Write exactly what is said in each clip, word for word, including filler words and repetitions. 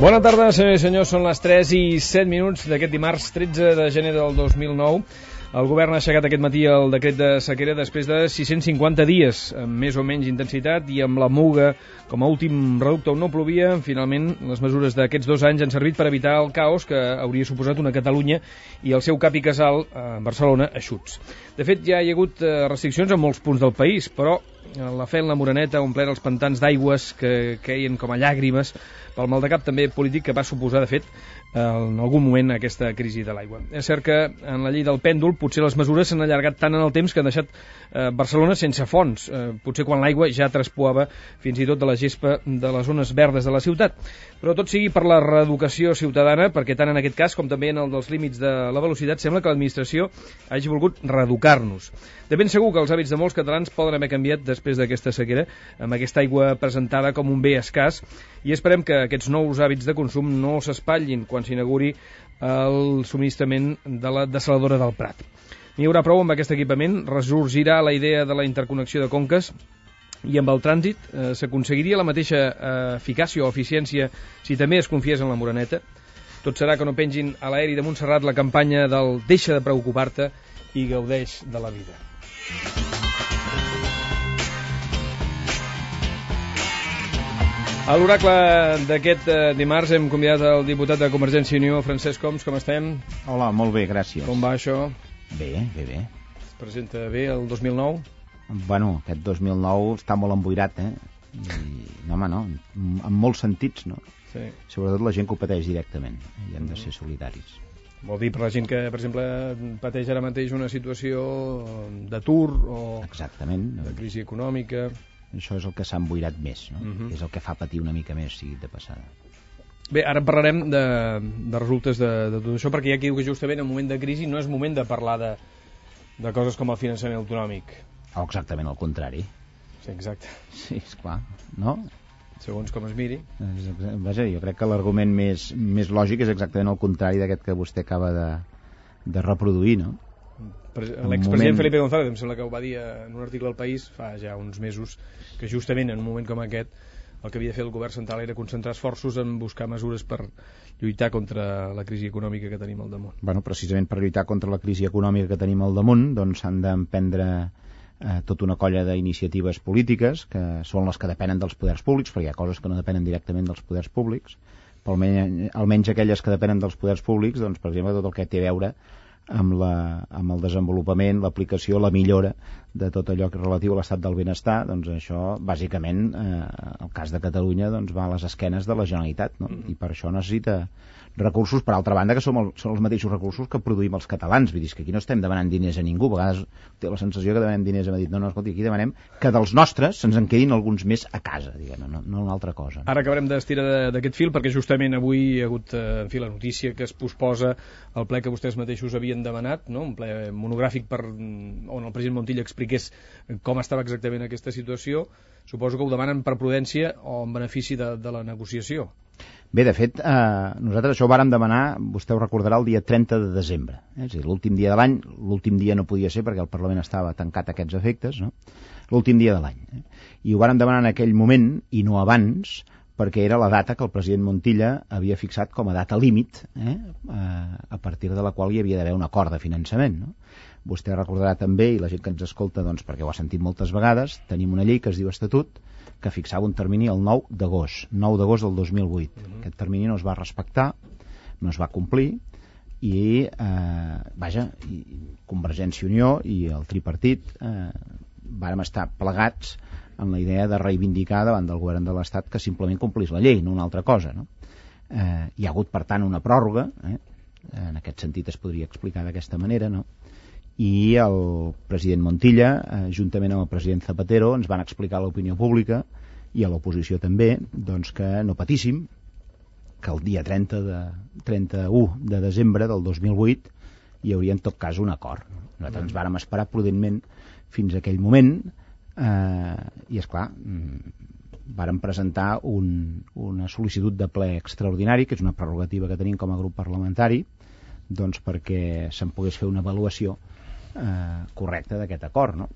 Bona tarda, senyors i senyors, són les tres i set minuts d'aquest dimarts tretze de gener del dos mil nou. El govern ha aixecat aquest matí el decret de sequera després de sis-cents cinquanta dies, amb més o menys intensitat i amb la Muga com a últim reducte on no plovia. Finalment, les mesures d'aquests dos anys han servit per evitar el caos que hauria suposat una Catalunya i el seu cap i casal, a Barcelona, eixuts. De fet, ja hi ha hagut restriccions en molts punts del país, però la Fel, la Moreneta, ha omplert els pantans d'aigües que queien com a llàgrimes pel maldecap també polític que va suposar, de fet, en algun moment aquesta crisi de l'aigua. És cert que en la llei del pèndol potser les mesures s'han allargat tant en el temps que han deixat eh, Barcelona sense fonts, eh, potser quan l'aigua ja traspuava fins i tot de la gespa de les zones verdes de la ciutat. Però tot sigui per la reeducació ciutadana, perquè tant en aquest cas com també en el dels límits de la velocitat sembla que l'administració hagi volgut reeducar-nos. De ben segur que els hàbits de molts catalans poden haver canviat després d'aquesta sequera, amb aquesta aigua presentada com un bé escàs, i esperem que aquests nous hàbits de consum no s'espatllin quan s'inauguri el subministrament de la dessaladora del Prat. N'hi haurà prou amb aquest equipament, ressorgirà la idea de la interconnexió de conques, i amb el trànsit eh, s'aconseguiria la mateixa eh, eficàcia o eficiència si també es confiés en la Moreneta. Tot serà que no pengin a l'aeri de Montserrat la campanya del deixa de preocupar-te i gaudeix de la vida. A l'oracle d'aquest eh, dimarts hem convidat el diputat de Convergència i Unió, Francesc Homs. Com estem? Hola, molt bé, gràcies. Com va això? Bé, bé, bé. Es presenta bé el dos mil nou? Bueno, aquest dos mil nou està molt emboirat, eh? I, no, home, no, en molts sentits, no? Sí. Sobretot la gent que ho pateix directament, i hem de ser solidaris. Vol dir per la gent que, per exemple, pateix ara mateix una situació d'atur o Exactament. de crisi econòmica. Això és el que s'ha emboirat més, no? Uh-huh. És el que fa patir una mica més, sigui de passada. Bé, ara parlarem de, de resultes de, de tot això, perquè hi ha qui diu que justament en un moment de crisi no és moment de parlar de, de coses com el finançament autonòmic. O exactament el contrari. Sí, exacte. Sí, esclar, no? Segons com es miri. Vaja, jo crec que l'argument més, més lògic és exactament el contrari d'aquest que vostè acaba de, de reproduir, no? L'expresident moment... Felipe González em sembla que ho va dir en un article al País fa ja uns mesos, que justament en un moment com aquest el que havia de fer el govern central era concentrar esforços en buscar mesures per lluitar contra la crisi econòmica que tenim al damunt. Bueno, precisament per lluitar contra la crisi econòmica que tenim al damunt, doncs s'han d'emprendre eh, tota una colla d'iniciatives polítiques que són les que depenen dels poders públics, perquè hi ha coses que no depenen directament dels poders públics, però almenys, almenys aquelles que depenen dels poders públics, doncs, per exemple, tot el que té a veure amb, la, amb el desenvolupament, l'aplicació, la millora de tot allò que és relatiu a l'estat del benestar, doncs això, bàsicament, eh, el cas de Catalunya doncs, va a les esquenes de la Generalitat, no? Mm-hmm. I per això necessita recursos, per altra banda, que són, el, són els mateixos recursos que produïm els catalans. Vull dir, que aquí no estem demanant diners a ningú. A vegades té la sensació que demanem diners a Madrid. No, no, escolti, aquí demanem que dels nostres se'ns en quedin alguns més a casa, diguem, no, no una altra cosa. Ara acabarem d'estirar d'aquest fil, perquè justament avui hi ha hagut, en fi, la notícia que es posposa el ple que vostès mateixos havien demanat, no? Un ple monogràfic per, on el president Montilla expliqués com estava exactament aquesta situació. Suposo que ho demanen per prudència o en benefici de, de la negociació. Bé, de fet, eh, nosaltres això ho vàrem demanar, vostè ho recordarà, el dia trenta de desembre. Eh? És a dir, l'últim dia de l'any, l'últim dia no podia ser perquè el Parlament estava tancat a aquests efectes, no? L'últim dia de l'any. Eh? I ho vàrem demanar en aquell moment, i no abans, perquè era la data que el president Montilla havia fixat com a data límit, eh? a partir de la qual hi havia d'haver un acord de finançament, no? Vostè recordarà també, i la gent que ens escolta, doncs, perquè ho ha sentit moltes vegades, tenim una llei que es diu Estatut, que fixava un termini el nou d'agost, nou d'agost del dos mil vuit. Uh-huh. Aquest termini no es va respectar, no es va complir, i, eh, vaja, i Convergència i Unió i el tripartit eh, vàrem estar plegats en la idea de reivindicar davant del govern de l'Estat que simplement complís la llei, no una altra cosa, no? Eh, hi ha hagut, per tant, una pròrroga, eh? En aquest sentit es podria explicar d'aquesta manera, no? I el president Montilla, eh, juntament amb el president Zapatero, ens van explicar a l'opinió pública i a l'oposició també, doncs que no patíssim, que el dia trenta de, trenta-u de desembre del dos mil vuit hi hauria en tot cas un acord. Nosaltres ens vàrem esperar prudentment fins a aquell moment eh, i, esclar, vàrem presentar un, una sol·licitud de ple extraordinari, que és una prerrogativa que tenim com a grup parlamentari, doncs perquè se'n pogués fer una avaluació eh, correcta d'aquest acord, no?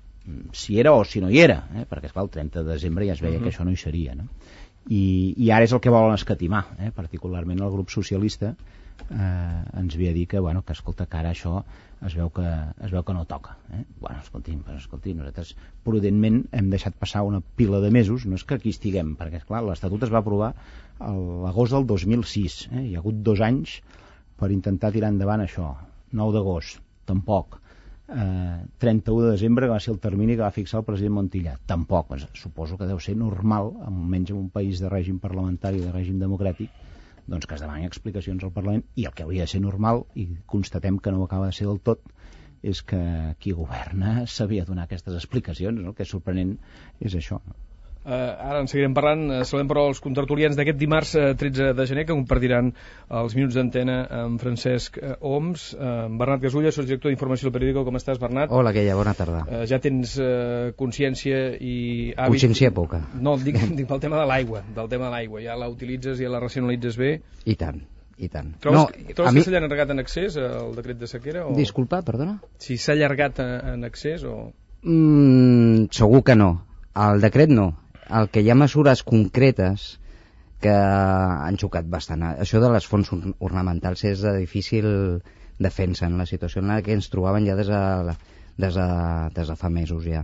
Si era o si no hi era, eh? Perquè esclar, el trenta de desembre ja es veia uh-huh. que això no hi seria, no? I, i ara és el que volen escatimar, eh? Particularment el grup socialista eh, ens ve a dir que, bueno, que escolta, que ara això es veu que, es veu que no toca, eh? Bueno, escolti'm, però, escolti'm, nosaltres prudentment hem deixat passar una pila de mesos, no és que aquí estiguem, perquè esclar, l'Estatut es va aprovar a l'agost del dos mil sis, eh? Hi ha hagut dos anys per intentar tirar endavant això. Nou d'agost, tampoc. Eh, trenta-u de desembre, que va ser el termini que va fixar el president Montilla, tampoc. Pues, suposo que deu ser normal, almenys en un país de règim parlamentari, de règim democràtic, doncs que es demanin explicacions al Parlament, i el que hauria de ser normal, i constatem que no ho acaba de ser del tot, és que qui governa sabia donar aquestes explicacions, no? El que és sorprenent és això, no? Uh, ara en seguirem parlant. Uh, saludem però els contertulians d'aquest dimarts uh, tretze de gener, que compartiran els minuts d'antena amb Francesc uh, Homs. uh, Bernat Gasulla, sotsdirector d'Informació del Periódico. Com estàs, Bernat? Hola, Queia, bona tarda. Uh, ja tens uh, consciència i hàbit... Consciència poca. No, dic, dic pel tema de l'aigua, del tema de l'aigua. Ja la utilitzes i ja la racionalitzes bé? I tant, i tant. Trobes, no, que, trobes mi... que s'ha allargat en excés el decret de sequera? O... Disculpa, perdona? Si s'ha allargat en excés o... Mm, segur que no. El decret no. El que hi ha mesures concretes que han xocat bastant. Això de les fonts ornamentals és de difícil defensa en la situació en la que ens trobaven ja des de, des de, des de fa mesos ja.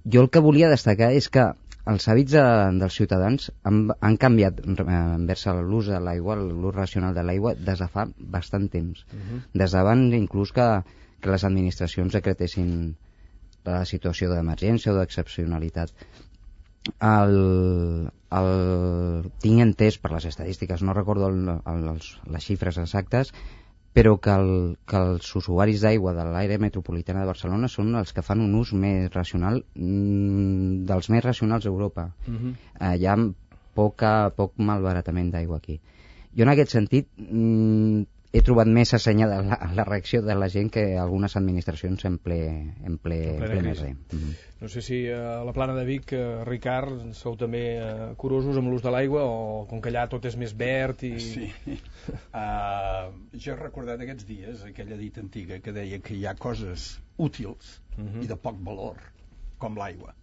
Jo el que volia destacar és que els hàbits de, dels ciutadans han, han canviat envers l'ús de l'aigua, l'ús racional de l'aigua, des de fa bastant temps. Uh-huh. Des d'abans inclús que, que les administracions decretessin la situació d'emergència o d'excepcionalitat. El, el, tinc entès per les estadístiques, no recordo el, el, els, les xifres exactes, però que, el, que els usuaris d'aigua de l'àrea metropolitana de Barcelona són els que fan un ús més racional, mm, dels més racionals d'Europa. Uh-huh. eh, hi ha poca, poc malbaratament d'aigua aquí. Jo en aquest sentit mm, he trobat més assenyada la, la reacció de la gent que algunes administracions en ple, en ple, en ple més bé. Mm-hmm. No sé si a la plana de Vic, eh, Ricard, sou també eh, curosos amb l'ús de l'aigua, o com que allà tot és més verd i... Sí. Uh, jo he recordat aquests dies aquella dita antiga que deia que hi ha coses útils uh-huh. i de poc valor, com l'aigua,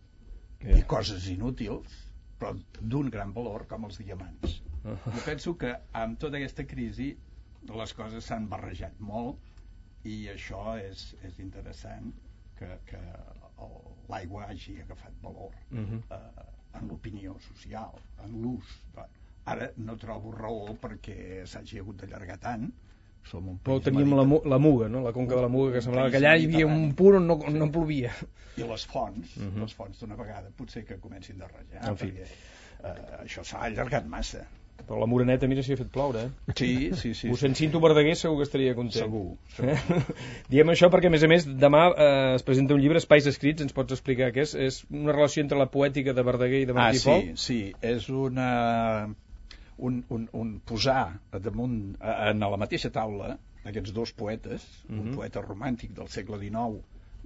yeah. i coses inútils, però d'un gran valor, com els diamants. Uh-huh. Jo penso que amb tota aquesta crisi les coses s'han barrejat molt i això és, és interessant que, que l'aigua hagi agafat valor uh-huh. eh, en l'opinió social, en l'ús. Ara no trobo raó perquè s'hagi hagut d'allargar tant. Som un Però teníem la, la Muga, no? La conca de la Muga, que semblava que allà hi havia un punt on no, on no plovia. I les fonts, uh-huh. les fonts d'una vegada potser que comencin a rajar, en fi. perquè eh, això s'ha allargat massa. Però la Moreneta, mira si ha fet ploure, eh? Sí, sí, sí. Us en Cinto Verdaguer segur que estaria content. Segur, segur. Diem això perquè, a més a més, demà eh, es presenta un llibre, Espais Escrits, ens pots explicar què és? És una relació entre la poètica de Verdaguer i de Martí ah, Pol? Ah, sí, sí. És una... Un, un, un posar damunt, en la mateixa taula, aquests dos poetes, uh-huh. un poeta romàntic del segle dinou,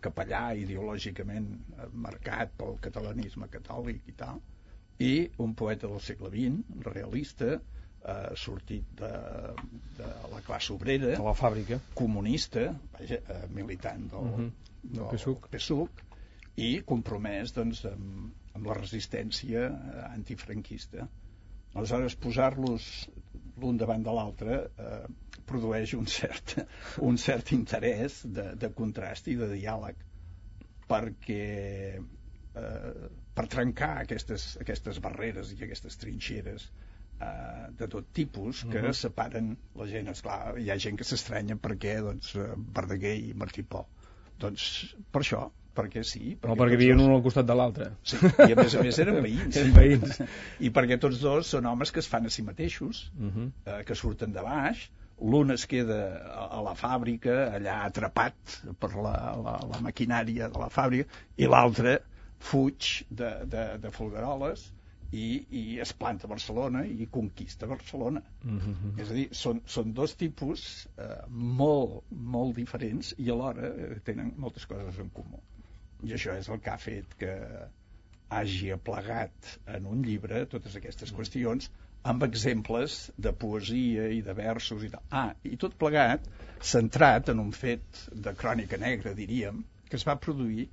capellà ideològicament marcat pel catalanisme catòlic i tal, i un poeta del segle vint, realista, eh, sortit de, de la classe obrera, de la fàbrica, comunista, vaja, eh, militant del, uh-huh. del P S U C, P S U C, i compromès doncs, amb, amb la resistència antifranquista. Aleshores, posar-los l'un davant de l'altre eh, produeix un cert, un cert interès de, de contrast i de diàleg, perquè eh, per trencar aquestes, aquestes barreres i aquestes trinxeres eh, de tot tipus que uh-huh. separen la gent. Esclar, hi ha gent que s'estranya perquè doncs, Verdaguer i Martí Pol. Doncs per això, perquè sí. Perquè no, perquè vivien dos... un al costat de l'altre. Sí, i a més a més eren veïns. Eren veïns. I perquè tots dos són homes que es fan a si mateixos, uh-huh. eh, que surten de baix, l'un es queda a, a la fàbrica, allà atrapat per la, la, la maquinària de la fàbrica, i l'altre fuig de, de, de Folgueroles i, i es planta a Barcelona i conquista Barcelona. Uh-huh. És a dir, són, són dos tipus eh, molt, molt diferents i alhora eh, tenen moltes coses en comú. I això és el que ha fet que hagi aplegat en un llibre totes aquestes qüestions amb exemples de poesia i de versos i tal. Ah, i tot plegat centrat en un fet de crònica negra, diríem, que es va produir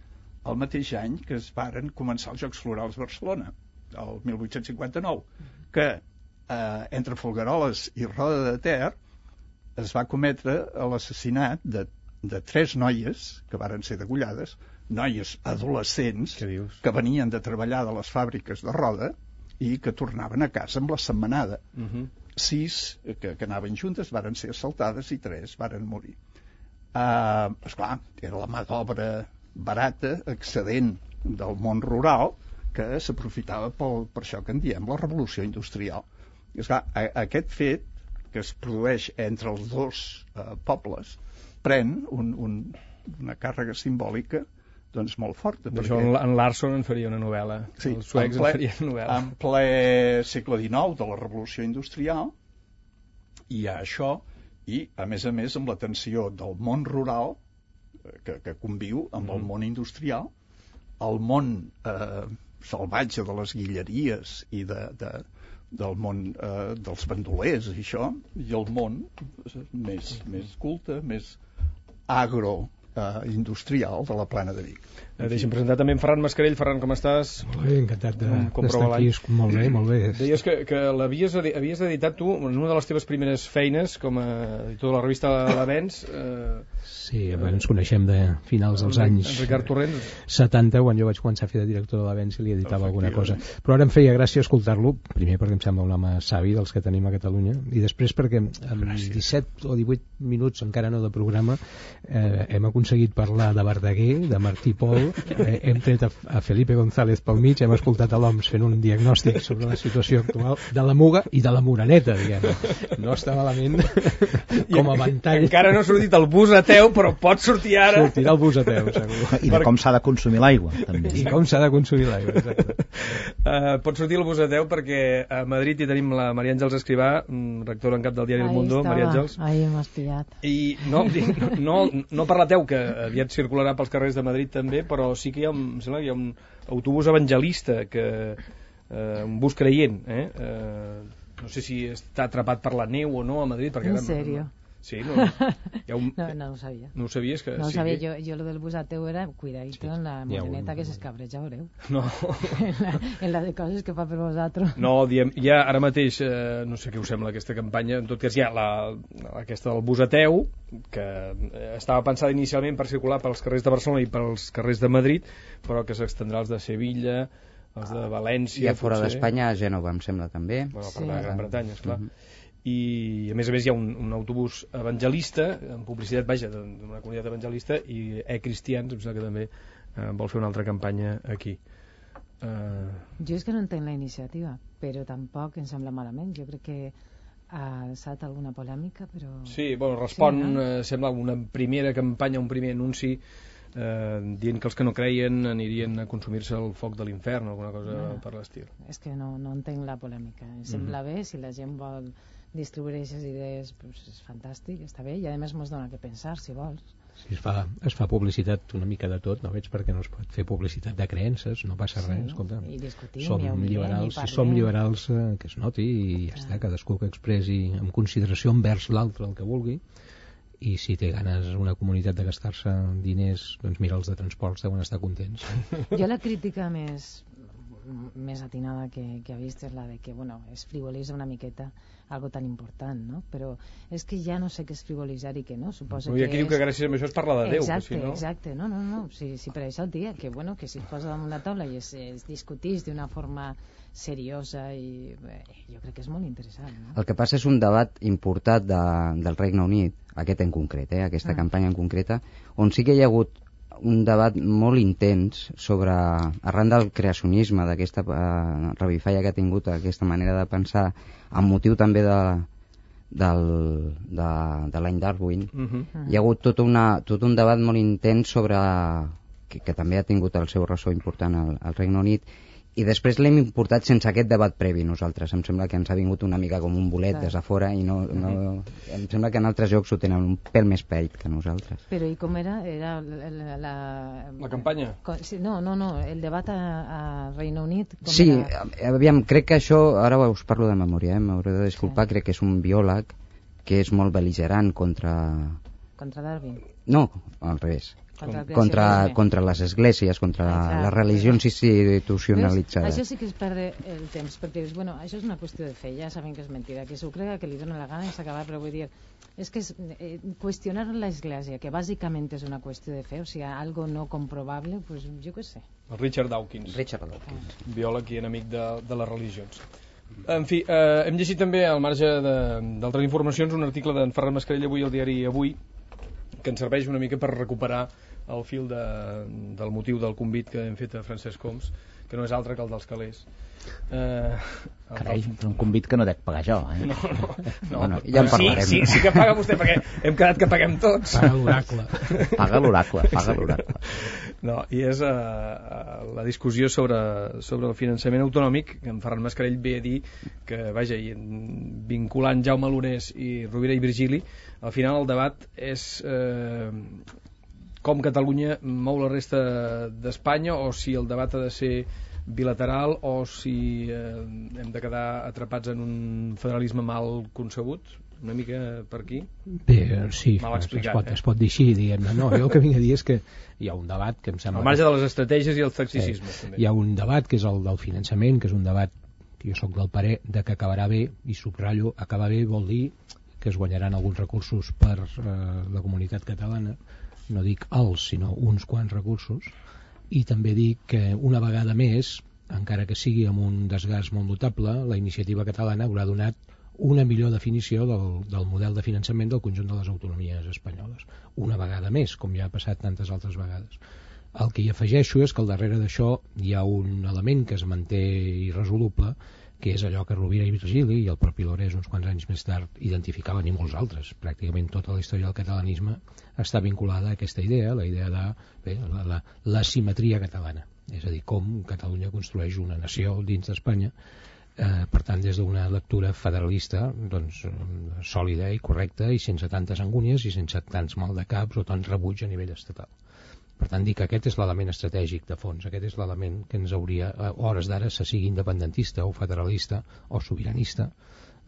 el mateix any que es varen començar els Jocs Florals de Barcelona, el mil vuit-cents cinquanta-nou, que eh, entre Folgueroles i Roda de Ter es va cometre l'assassinat de, de tres noies que varen ser degollades, noies adolescents que venien de treballar de les fàbriques de Roda i que tornaven a casa amb la setmanada. Uh-huh. Sis que, que anaven juntes varen ser assaltades i tres varen morir. Uh, esclar, era la mà d'obra barata, excedent del món rural, que s'aprofitava per això que en diem la revolució industrial. I esclar, a, aquest fet que es produeix entre els dos uh, pobles pren un, un, una càrrega simbòlica doncs molt forta. D'això perquè... en Larson en faria una novel·la. Sí, els suecs en, ple, en farien una novel·la. En ple segle dinou de la revolució industrial hi ha això, i a més a més amb la tensió del món rural que, que conviu amb mm. el món industrial, el món eh, salvatge de les guilleries i de, de, del món eh, dels bandolers i això, i el món més, més culte, més agro Uh, industrial de la plana de Vic. Eh, deixa'm presentar també en Ferran Mascarell. Ferran, com estàs? Molt bé, encantat d'estar aquí. Molt bé, molt bé. Deies que, que l'havies havies editat tu en una de les teves primeres feines com a editor de la revista L'Avenç. Eh, sí, ens coneixem de finals dels anys Ricard Torrents. setanta, quan jo vaig començar a fer de director de l'Avenç i li editava alguna cosa. Però ara em feia gràcia escoltar-lo, primer perquè em sembla un home savi dels que tenim a Catalunya, i després perquè en gràcies. disset o divuit minuts encara no de programa eh, hem aconseguit parlar de Verdaguer, de Martí Pol, eh, hem tret a, a Felipe González pel mig, hem escoltat a l'O M S fent un diagnòstic sobre la situació actual de la Muga i de la Moreneta, diguem. No està malament com a ventall. Encara no ha sortit el bus ateu, però pot sortir ara. Sortirà el bus ateu, segur. I de com s'ha de consumir l'aigua, també. I com s'ha de consumir l'aigua, exacte. Uh, pot sortir el bus ateu perquè a Madrid hi tenim la Maria Àngels Escrivà, rectora en cap del diari El Mundo. Maria Àngels. Ahí m'has pillat. I no, no, no per la teu, que aviat circularà pels carrers de Madrid també, però sí que hi ha, em sembla que hi ha un autobús evangelista, que, eh, un bus creient, eh? Eh, no sé si està atrapat per la neu o no a Madrid. Perquè ¿En serio? No, sí, no, hi ha un... no, no ho sabia. No ho sabies? Que no ho sí, sabia, que... jo, jo lo del bus ateu era cuidadito sí, en la moreneta un... que s'escabreja, veureu. No. en, la, en la de coses que fa per vosaltres. No, diem, ja ara mateix, eh, no sé què us sembla aquesta campanya, en tot cas hi ha la, aquesta del bus ateu, que estava pensada inicialment per circular pels carrers de Barcelona i pels carrers de Madrid, però que s'extendrà als de Sevilla, els de València... I a fora d'Espanya, a Gènova, em sembla, també. Bueno, per sí. la Gran Bretanya, esclar. Uh-huh. I a més a més hi ha un, un autobús evangelista, en publicitat, vaja, d'una comunitat evangelista, i e-cristians, em sembla que també eh, vol fer una altra campanya aquí. Uh... Jo és que no entenc la iniciativa, però tampoc em sembla malament. Jo crec que ha alçat alguna polèmica, però... Sí, bueno, respon, sí, no? eh, sembla una primera campanya, un primer anunci eh, dient que els que no creien anirien a consumir-se el foc de l'infern o alguna cosa no, per l'estil. És que no, no entenc la polèmica. Em sembla mm. bé, si la gent vol distribuir aquestes idees, pues és fantàstic, està bé, i a més mos dona que pensar, si vols. Sí, es fa, es fa publicitat una mica de tot, no veig perquè no es pot fer publicitat de creences, no passa sí, res, escolta. I discutim, som i liberals, i si som liberals eh, que es noti i ja ah. està, cadascú que expressi amb consideració envers l'altre el que vulgui, i si té ganes una comunitat de gastar-se diners, doncs mira, els de transports deuen estar contents. Jo la crítica més més atinada que, que ha vist és la de que, bueno, es frivolitza una miqueta algo tan important, no? Però és que ja no sé què és frivolitzar i què no, suposo que és... aquí diu que gràcies a això es parla de Déu, exacte, si no... Exacte, no, no, no, si, si per això el dia, que bueno, que si es posa damunt la taula i es, es discutís d'una forma seriosa i bé, jo crec que és molt interessant, no? El que passa és un debat importat de, del Regne Unit, aquest en concret, eh, aquesta ah. campanya en concreta, on sí que hi ha hagut un debat molt intens sobre, arran del creacionisme, d'aquesta uh, revifalla que ha tingut aquesta manera de pensar, amb motiu també de, del, de, de l'any Darwin, uh-huh. hi ha hagut tot, una, tot un debat molt intens sobre, que, que també ha tingut el seu ressò important al, al Regne Unit, I després l'hem importat sense aquest debat previ nosaltres. Em sembla que ens ha vingut una mica com un bolet des de fora i no, no... em sembla que en altres llocs ho tenen un pèl més peit que nosaltres. Però i com era? Era la... La, la campanya? No, no, no, el debat a, a Reino Unit... Com sí, era? aviam, crec que això, ara us parlo de memòria, eh? m'hauré de disculpar, sí. Crec que és un biòleg que és molt bel·ligerant contra... Contra Darwin? No, al revés. Contra, contra, contra les esglésies, contra ah, les religions institucionalitzades. Això sí que es perd el temps, perquè dius, bueno, això és una qüestió de fe, ja sabem que és mentida, que s'ho crega, que li dona la gana i s'acaba, però vull dir, és que és, eh, qüestionar l'església, que bàsicament és una qüestió de fe, o sigui, algo no comprobable, pues jo què sé. El Richard Dawkins, Richard Dawkins. Ah. biòleg i enemic de, de les religions. En fi, eh, hem llegit també, al marge d'altres informacions, un article d'en Ferran Mascarell avui al diari Avui, que ens serveix una mica per recuperar el fil de, del motiu del convit que hem fet a Francesc Homs, que no és altre que el dels calés. Eh, Carai, però un convit que no dec pagar jo, eh? No, no, no. Bueno, ja en parlarem. Sí, sí, sí que paga vostè, perquè hem quedat que paguem tots. Paga l'oracle. Paga l'oracle, paga l'oracle. No, i és uh, la discussió sobre, sobre el finançament autonòmic, que en Ferran Mascarell ve a dir que, vaja, i vinculant Jaume Lunés i Rovira i Virgili, al final el debat és... Eh, com Catalunya mou la resta d'Espanya, o si el debat ha de ser bilateral, o si eh, hem de quedar atrapats en un federalisme mal concebut, una mica per aquí. Bé, sí, mal explicat, es, pot, eh? es pot dir així, diguem-ne. No, jo el que vinc a dir és que hi ha un debat que em sembla... Al marge de les estratègies i els tacticismes, sí, també. Hi ha un debat que és el del finançament, que és un debat que jo sóc del parer de que acabarà bé, i subratllo, acabar bé vol dir que es guanyaran alguns recursos per eh, la comunitat catalana, no dic els, sinó uns quants recursos, i també dic que una vegada més, encara que sigui amb un desgast molt notable, la iniciativa catalana haurà donat una millor definició del, del model de finançament del conjunt de les autonomies espanyoles. Una vegada més, com ja ha passat tantes altres vegades. El que hi afegeixo és que al darrere d'això hi ha un element que es manté irresoluble, que és allò que Rovira i Virgili i el propi Lorés uns quants anys més tard identificaven, i molts altres. Pràcticament tota la història del catalanisme està vinculada a aquesta idea, la idea de bé, la, la, la simetria catalana, és a dir, com Catalunya construeix una nació dins d'Espanya, eh, per tant, des d'una lectura federalista doncs, sòlida i correcta i sense tantes angúnies i sense tants maldecaps o tant rebuig a nivell estatal. Per tant, dic que aquest és l'element estratègic de fons, aquest és l'element que ens hauria, a hores d'ara, se sigui independentista o federalista o sobiranista,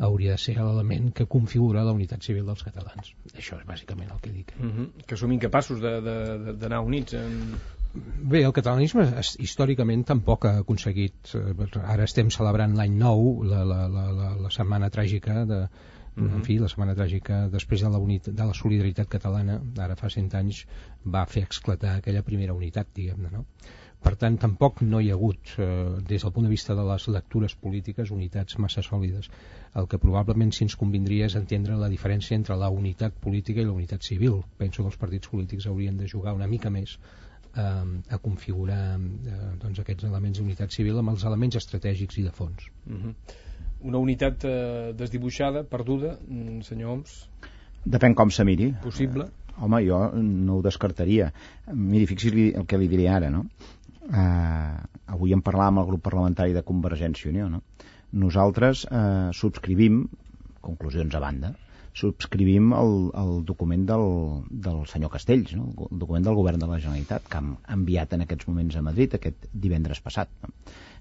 hauria de ser l'element que configura la unitat civil dels catalans. Això és bàsicament el que dic. Mm-hmm. Que som incapaços d'anar units en... Bé, el catalanisme històricament tampoc ha aconseguit... Ara estem celebrant l'any nou, la, la, la, la, la setmana tràgica de... Mm-hmm. En fi, la setmana tràgica després de la, unitat, de la solidaritat catalana, ara fa cent anys, va fer esclatar aquella primera unitat, diguem-ne, no? Per tant, tampoc no hi ha hagut, eh, des del punt de vista de les lectures polítiques, unitats massa sòlides. El que probablement sí ens convindria és entendre la diferència entre la unitat política i la unitat civil. Penso que els partits polítics haurien de jugar una mica més eh, a configurar eh, doncs aquests elements d'unitat civil amb els elements estratègics i de fons. Mm-hmm. Una unitat eh, desdibuixada, perduda, senyor Homs? Depèn com se miri. Possible? Eh, home, jo no ho descartaria. Miri, fixi's el que li diré ara, no? Eh, avui en parlàvem amb el grup parlamentari de Convergència i Unió, no? Nosaltres eh, subscrivim, conclusions a banda, subscrivim el, el document del, del senyor Castells, no? El document del govern de la Generalitat, que ha enviat en aquests moments a Madrid aquest divendres passat, no?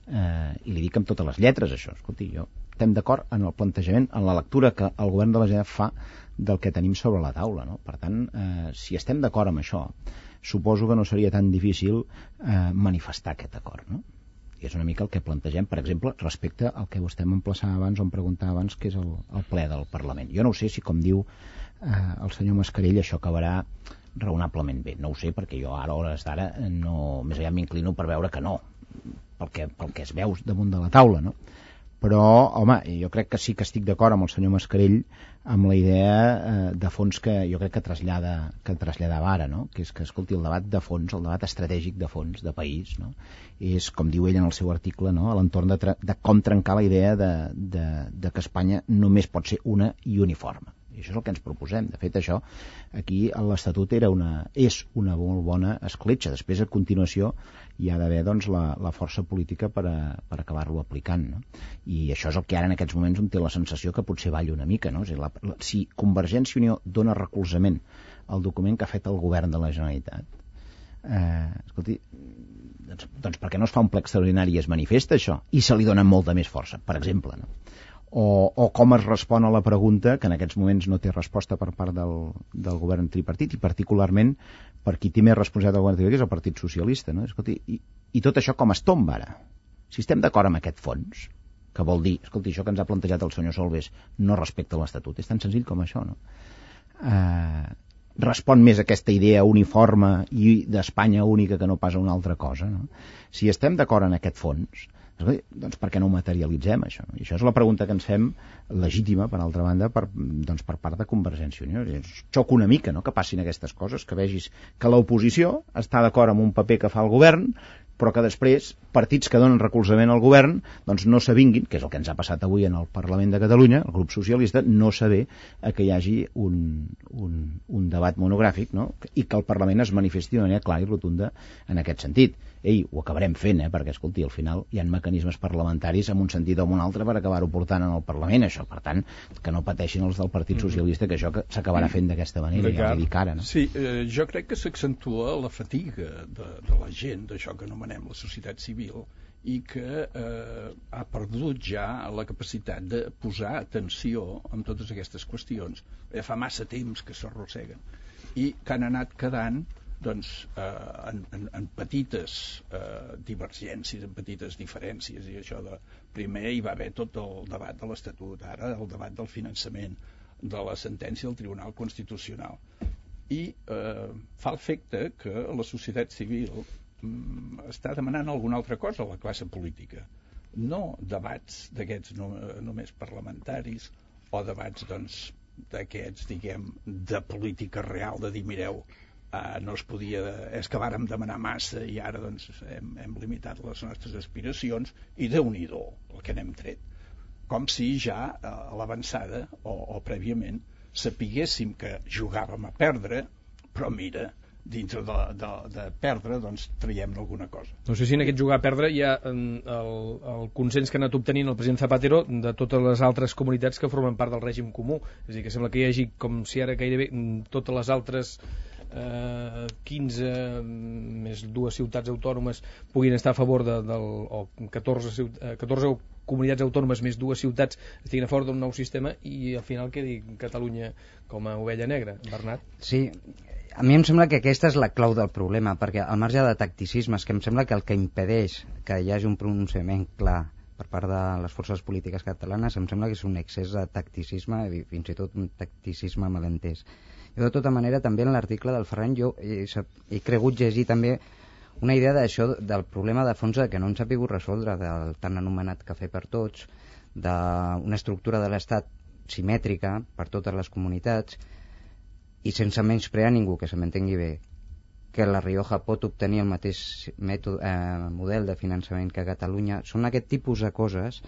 Eh, i li dic amb totes les lletres això, escolti, jo estem d'acord en el plantejament, en la lectura que el govern de la Generalitat fa del que tenim sobre la taula, no? Per tant, eh, si estem d'acord amb això, suposo que no seria tan difícil eh, manifestar aquest acord, no? I és una mica el que plantegem, per exemple, respecte al que vostè m'emplaçava abans o em preguntava abans, que és el, el ple del Parlament. Jo no ho sé si, com diu eh, el senyor Mascarell, això acabarà raonablement bé. No ho sé, perquè jo ara, a hores d'ara, no, més aviat m'inclino per veure que no, pel que, pel que es veu damunt de la taula, no? Però, home, jo crec que sí que estic d'acord amb el senyor Mascarell amb la idea eh, de fons que jo crec que trasllada que traslladava ara, no? Que és que, escolti, el debat de fons, el debat estratègic de fons, de país, no? És, com diu ell en el seu article, no? A l'entorn de, de com trencar la idea de, de, de que Espanya només pot ser una i uniforme. I això és el que ens proposem. De fet, això, aquí l'Estatut era una, és una molt bona escletxa. Després, a continuació, hi ha d'haver doncs, la, la força política per, a, per acabar-lo aplicant. No? I això és el que ara en aquests moments em té la sensació que potser balla una mica. No? És a dir, la, la, si Convergència i Unió dona recolzament al document que ha fet el govern de la Generalitat, eh, escolti, doncs, doncs per què no es fa un ple extraordinari i es manifesta això? I se li dona molta més força, per exemple, no? O, o com es respon a la pregunta que en aquests moments no té resposta per part del, del govern tripartit i particularment per qui té més responsabilitat del govern tripartit, que és el Partit Socialista, no? Escolti, i, i tot això com es tomba ara? Si estem d'acord amb aquest fons, que vol dir, escolti, això que ens ha plantejat el senyor Solbes no respecta l'Estatut, és tan senzill com això, no? Eh, respon més a aquesta idea uniforme i d'Espanya única que no pas a una altra cosa, no? Si estem d'acord en aquest fons, doncs per què no ho materialitzem, això? I això és la pregunta que ens fem, legítima, per altra banda, per, doncs per part de Convergència i Unió. Xoca una mica, no?, que passin aquestes coses, que vegis que l'oposició està d'acord amb un paper que fa el govern, però que després partits que donen recolzament al govern doncs no s'avinguin, que és el que ens ha passat avui en el Parlament de Catalunya, el grup socialista, no saber que hi hagi un, un, un debat monogràfic, no?, i que el Parlament es manifesti de manera clara i rotunda en aquest sentit. Ei, ho acabarem fent, eh? Perquè, escolti, al final hi ha mecanismes parlamentaris en un sentit o en un altre per acabar-ho portant en el Parlament, això. Per tant, que no pateixin els del Partit Socialista, que això s'acabarà fent d'aquesta manera, ja ho dic ara, no? Sí, eh, jo crec que s'accentua la fatiga de, de la gent, d'això que anomenem la societat civil, i que eh, ha perdut ja la capacitat de posar atenció en totes aquestes qüestions. Ja fa massa temps que s'arrosseguen i que han anat quedant doncs, eh, en, en, en petites eh, divergències, en petites diferències, i això de primer hi va haver tot el debat de l'Estatut, ara el debat del finançament, de la sentència del Tribunal Constitucional, i eh, fa l'efecte que la societat civil mm, està demanant alguna altra cosa a la classe política, no debats d'aquests no, només parlamentaris o debats doncs d'aquests, diguem, de política real, de dir, mireu, Uh, no es podia, és que vàrem demanar massa i ara doncs hem, hem limitat les nostres aspiracions i déu-n'hi-do el que n'hem tret, com si ja uh, a l'avançada o, o prèviament sapiguéssim que jugàvem a perdre, però mira, dintre de, de, de perdre doncs traiem alguna cosa. No sé si en aquest jugar a perdre hi ha el, el consens que ha anat obtenint el president Zapatero de totes les altres comunitats que formen part del règim comú, és a dir, que sembla que hi hagi com si ara gairebé totes les altres eh, quinze més dues ciutats autònomes puguin estar a favor de, del, o catorze, catorze comunitats autònomes més dues ciutats estiguin a favor d'un nou sistema i al final quedi Catalunya com a ovella negra. Bernat? Sí, a mi em sembla que aquesta és la clau del problema, perquè al marge de tacticismes, que em sembla que el que impedeix que hi hagi un pronunciament clar per part de les forces polítiques catalanes, em sembla que és un excés de tacticisme i fins i tot un tacticisme malentès. Jo, de tota manera, també en l'article del Ferran jo he, he cregut llegir també una idea d'això, del problema de fons que no ens ha pogut resoldre, del tan anomenat cafè per tots, d'una estructura de l'Estat simètrica per totes les comunitats i sense menysprear ningú, que se m'entengui bé, que la Rioja pot obtenir el mateix mètode, eh, model de finançament que Catalunya. Són aquest tipus de coses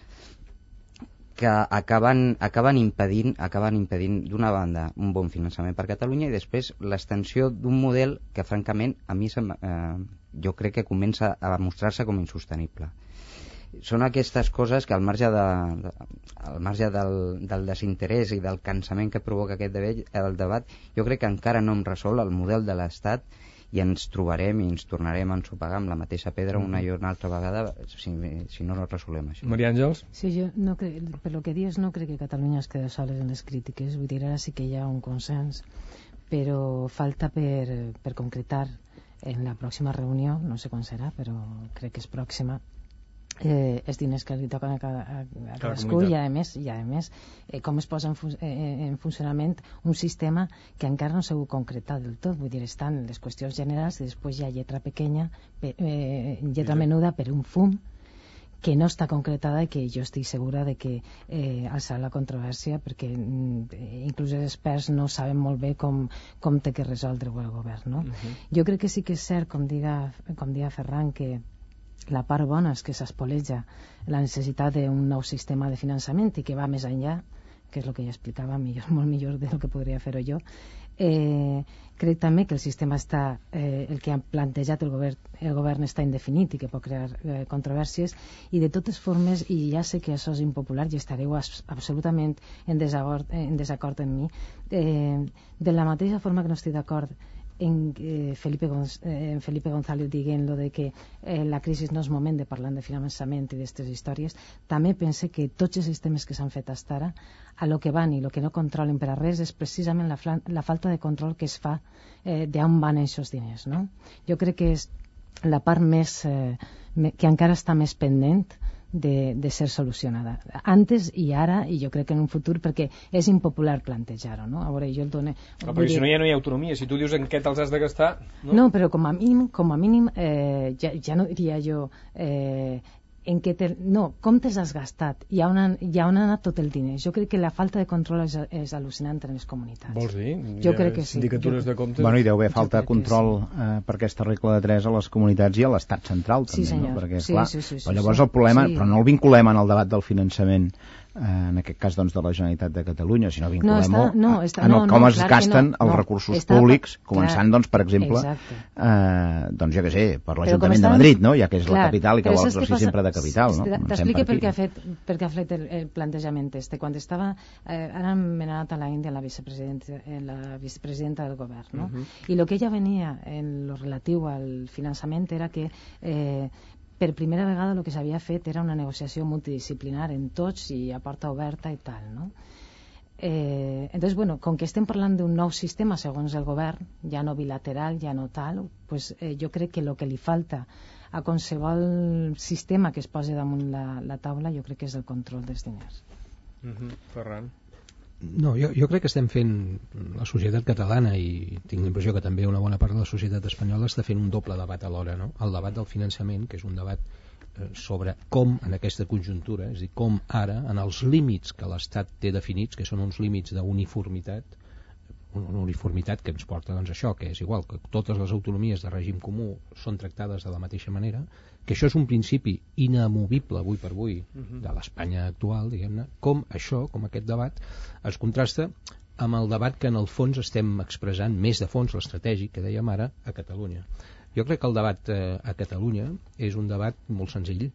que acaben, acaben impedint, acaben impedint d'una banda un bon finançament per Catalunya i després l'extensió d'un model que francament a mi se, eh, jo crec que comença a mostrar-se com insostenible. Són aquestes coses que al marge, de, de, al marge del, del desinterès i del cansament que provoca aquest debat, el debat, jo crec que encara no hem resolt el model de l'Estat i ens trobarem i ens tornarem a ensopegar amb la mateixa pedra una i una altra vegada si, si no resolem això. Maria Àngels? Sí, jo no crec, per lo que dius no crec que Catalunya es quedi sola en les crítiques, vull dir, ara sí que hi ha un consens, però falta per, per concretar en la pròxima reunió, no sé quan serà, però crec que és pròxima, eh, els diners que li toquen a, cada, a, a cadascú i a més, i a més eh, com es posa en, fun eh, en funcionament un sistema que encara no s'ha concretat del tot, vull dir, estan les qüestions generals i després hi ha lletra pequeña, pe eh, lletra menuda per un fum que no està concretada i que jo estic segura de que eh, alçarà la controvèrsia perquè eh, inclús els experts no saben molt bé com, com té que resoldre-ho el govern, no? Uh -huh. Jo crec que sí que és cert, com diga, com diga Ferran, que la part bona és que s'espoleja la necessitat d'un nou sistema de finançament i que va més enllà que és el que ja explicava, millor, molt millor del que podria fer-ho jo. Eh, crec també que el sistema està, eh, el que ha plantejat el govern, el govern està indefinit i que pot crear eh, controvèrsies, i de totes formes, i ja sé que això és impopular i estareu as, absolutament en desacord, en desacord amb mi, eh, de la mateixa forma que no estic d'acord en eh, Felipe, Gonz eh, en Felipe González dient lo de que eh, la crisi no és moment de parlar de finançament i d'aquestes històries, també pense que tots els sistemes que s'han fet fins ara, a lo que van i lo que no controlen per a res és precisament la, la falta de control que es fa eh, d'on van aquests diners, no? Jo crec que és la part més eh, que encara està més pendent de, de ser solucionada antes i ara, i jo crec que en un futur, perquè és impopular plantejar-ho, no? A veure, jo el dono... Però perquè si no, ja no hi ha autonomia, si tu dius en què te'ls has de gastar... No, no, però com a mínim, com a mínim eh, ja, ja no diria jo eh, en què te... no, com te'ls has gastat i on, han, i on ha anat tot el diner. Jo crec que la falta de control és, és al·lucinant en les comunitats. Vols dir? Jo crec que sí. Sindicatures de comptes... Bueno, i deu haver falta de control sí. eh, per aquesta regla de tres a les comunitats i a l'estat central també, sí, senyor. No? Perquè, sí, clar, sí, sí, sí, però llavors sí. el problema, sí. però no el vinculem en el debat del finançament, eh, en aquest cas doncs de la Generalitat de Catalunya, sinó vinculem-ho no, no, està, en el no, com no, es clar gasten no, els no, recursos està, públics, clar, començant doncs per exemple eh, doncs jo què sé, per l'Ajuntament estan... de Madrid, no? Ja que és clar, la capital i que vol exercir passa... sempre de capital, no? T'explique per què ha fet, per què ha fet el, el plantejament este. Quan estava, eh, ara m'he anat a la Índia la vicepresidenta, la vicepresidenta del govern, no? Uh -huh. I el que ella venia en lo relatiu al finançament era que eh, per primera vegada el que s'havia fet era una negociació multidisciplinar en tots i a porta oberta i tal, no? Eh, entonces, bueno, com que estem parlant d'un nou sistema segons el govern, ja no bilateral, ja no tal, pues, eh, jo crec que el que li falta a qualsevol sistema que es posi damunt la, la taula, jo crec que és el control dels diners. Uh-huh. Ferran? No, jo, jo crec que estem fent la societat catalana, i tinc la impressió que també una bona part de la societat espanyola està fent un doble debat alhora, no? El debat del finançament, que és un debat eh, sobre com en aquesta conjuntura, és a dir, com ara, en els límits que l'Estat té definits, que són uns límits d'uniformitat, una uniformitat que ens porta doncs, això, que és igual, que totes les autonomies de règim comú són tractades de la mateixa manera, que això és un principi inamovible avui per avui de l'Espanya actual, diguem-ne, com això, com aquest debat, es contrasta amb el debat que en el fons estem expressant, més de fons l'estratègic, que dèiem ara, a Catalunya. Jo crec que el debat eh, a Catalunya és un debat molt senzill.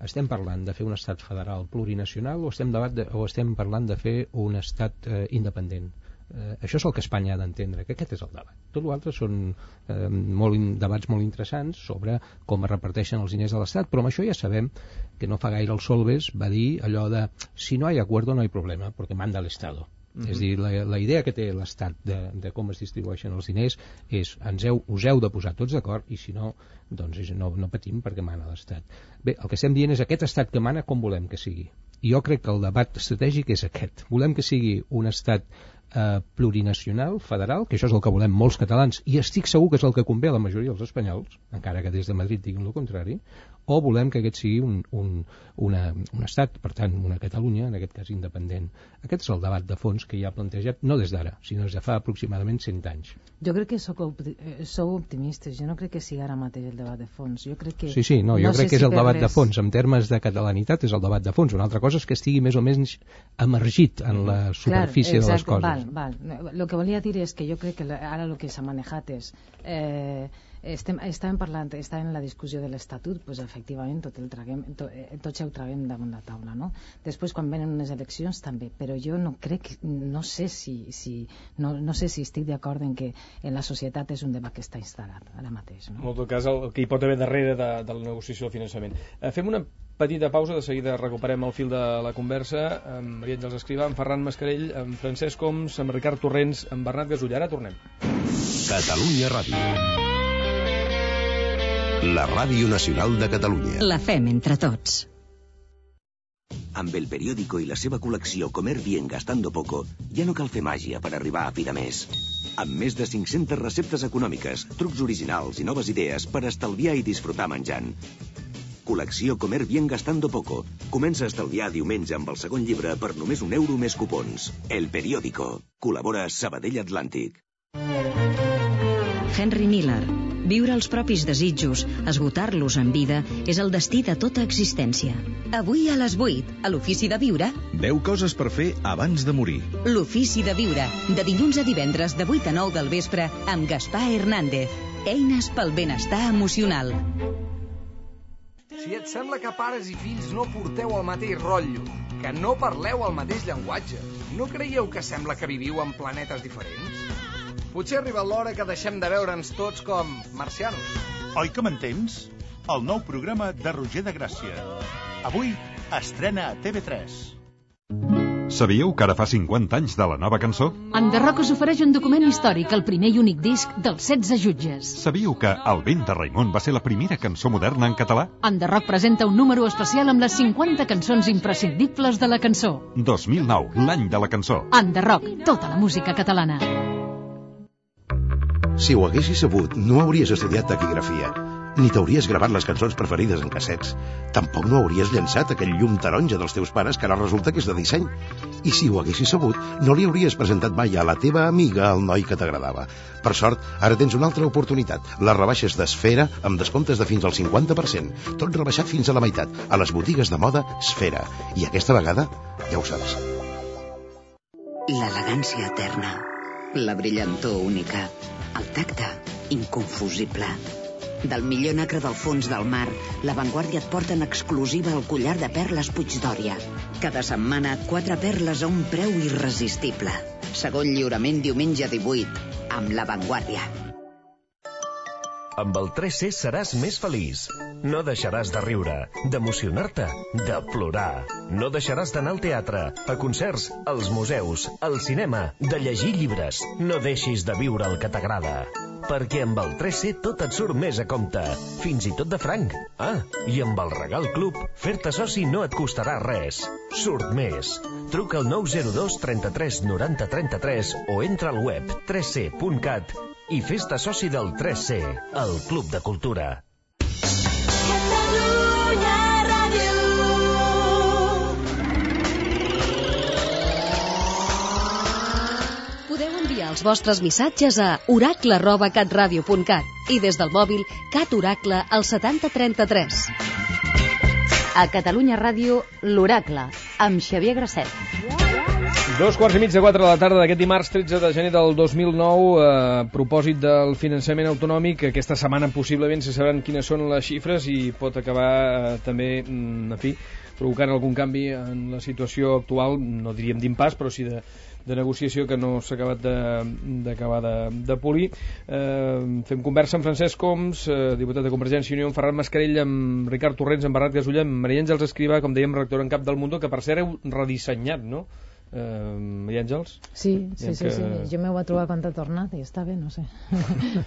Estem parlant de fer un estat federal plurinacional o estem, debat de, o estem parlant de fer un estat eh, independent? Eh, això és el que Espanya ha d'entendre, que aquest és el debat. Tot l'altre són eh, molt in, debats molt interessants sobre com es reparteixen els diners de l'Estat, però amb això ja sabem que no fa gaire el Solbes va dir allò de si no hi ha acuerdo no hi problema, perquè manda l'Estado. Uh-huh. És a dir, la, la idea que té l'Estat de, de com es distribueixen els diners és ens heu, us heu de posar tots d'acord i si no, doncs és, no, no patim perquè mana l'Estat. Bé, el que estem dient és aquest Estat que mana com volem que sigui. I jo crec que el debat estratègic és aquest. Volem que sigui un Estat eh, plurinacional, federal, que això és el que volem molts catalans, i estic segur que és el que convé a la majoria dels espanyols, encara que des de Madrid diguin el contrari, o volem que aquest sigui un, un, una, un estat, per tant, una Catalunya, en aquest cas independent. Aquest és el debat de fons que hi ha plantejat, no des d'ara, sinó des de fa aproximadament cent anys. Jo crec que sou, sou optimistes, jo no crec que sigui ara mateix el debat de fons. Jo crec que... Sí, sí, no, jo no crec que és si el debat les... de fons, en termes de catalanitat és el debat de fons. Una altra cosa és que estigui més o menys emergit en la superfície Clar, exacte, de les coses. Val, val. Lo que volia dir és que jo crec que ara el que s'ha manejat és... Eh, Estem, estàvem parlant, estàvem en la discussió de l'Estatut, doncs efectivament tot el traguem, to, eh, tots ho traguem damunt la taula, no? Després quan venen unes eleccions també, però jo no crec, no sé si, si no, no sé si estic d'acord en que en la societat és un debat que està instal·lat ara mateix, no? En tot cas, el que hi pot haver darrere de, de la negociació del finançament. Eh, fem una petita pausa, de seguida recuperem el fil de la conversa amb Maria Àngels Escrivà, amb Ferran Mascarell, amb Francesc Homs, amb Ricard Torrents, amb Bernat Gasull. Ara tornem. Catalunya Ràdio, la ràdio nacional de Catalunya. La fem entre tots. Amb el periòdico i la seva col·lecció Comer bien gastando poco, ja no cal fer màgia per arribar a fi de mes. Amb més de cinc-centes receptes econòmiques, trucs originals i noves idees per estalviar i disfrutar menjant. Col·lecció Comer bien gastando poco. Comença a estalviar diumenge amb el segon llibre per només un euro més cupons. El periòdico. Col·labora Sabadell Atlàntic. Henry Miller. Viure els propis desitjos, esgotar-los en vida, és el destí de tota existència. Avui a les vuit, a l'Ofici de Viure... deu coses per fer abans de morir. L'Ofici de Viure, de dilluns a divendres de vuit a nou del vespre, amb Gaspar Hernández. Eines pel benestar emocional. Si et sembla que pares i fills no porteu el mateix rotllo, que no parleu el mateix llenguatge, no creieu que sembla que viviu en planetes diferents? Potser ha arribat l'hora que deixem de veure'ns tots com marcianos. Oi que m'entens? El nou programa de Roger de Gràcia. Avui estrena a T V tres. Sabíeu que ara fa cinquanta anys de la nova cançó? Enderroc us ofereix un document històric, el primer i únic disc dels setze jutges. Sabíeu que El vent de Raimon va ser la primera cançó moderna en català? Enderroc presenta un número especial amb les cinquanta cançons imprescindibles de la cançó. dos mil nou, l'any de la cançó. Enderroc, tota la música catalana. Si ho haguessis sabut, no hauries estudiat taquigrafia, ni t'hauries gravat les cançons preferides en cassets. Tampoc no hauries llançat aquell llum taronja dels teus pares que ara resulta que és de disseny. I si ho haguessis sabut, no li hauries presentat mai a la teva amiga el noi que t'agradava. Per sort, ara tens una altra oportunitat. Les rebaixes d'Esfera amb descomptes de fins al cinquanta per cent. Tot rebaixat fins a la meitat, a les botigues de moda Esfera. I aquesta vegada, ja ho saps. L'elegància eterna, la brillantor única, el tacte inconfusible. Del millor nacre del fons del mar, La Vanguardia et porta en exclusiva el collar de perles Puigdòria. Cada setmana, quatre perles a un preu irresistible. Segon lliurament diumenge divuit, amb La Vanguardia. Amb el tres C seràs més feliç. No deixaràs de riure, d'emocionar-te, de plorar. No deixaràs d'anar al teatre, a concerts, als museus, al cinema, de llegir llibres. No deixis de viure el que t'agrada. Perquè amb el tres C tot et surt més a compte, fins i tot de franc. Ah, i amb el Regal Club, fer-te soci no et costarà res. Surt més. Truca al nou zero dos trenta-tres noranta trenta-tres o entra al web tres c punt cat i fes-te soci del tres C, el Club de Cultura. Podeu enviar els vostres missatges a oracle arroba catradio punt cat i des del mòbil Cat Oracle al setanta trenta-tres. A Catalunya Ràdio, l'Oracle, amb Xavier Grasset. Dos quarts i mig de quatre de la tarda d'aquest dimarts tretze de gener del dos mil nou, a propòsit del finançament autonòmic. Aquesta setmana possiblement se sabran quines són les xifres i pot acabar eh, també, en fi, provocant algun canvi en la situació actual, no diríem d'impàs, però sí de, de negociació que no s'ha acabat d'acabar de, de, de polir. Eh, fem conversa amb Francesc Homs, eh, diputat de Convergència i Unió, amb Ferran Mascarell, amb Ricard Torrents, amb Bernat Gasulla, amb Maria Àngels Escrivà, com dèiem, redactora en cap del Mundo, que per cert heu redissenyat, no? Uh, Maria Àngels? Sí, sí, sí, que... sí, jo m'ho he trobat quan t'ha tornat i està bé, no sé.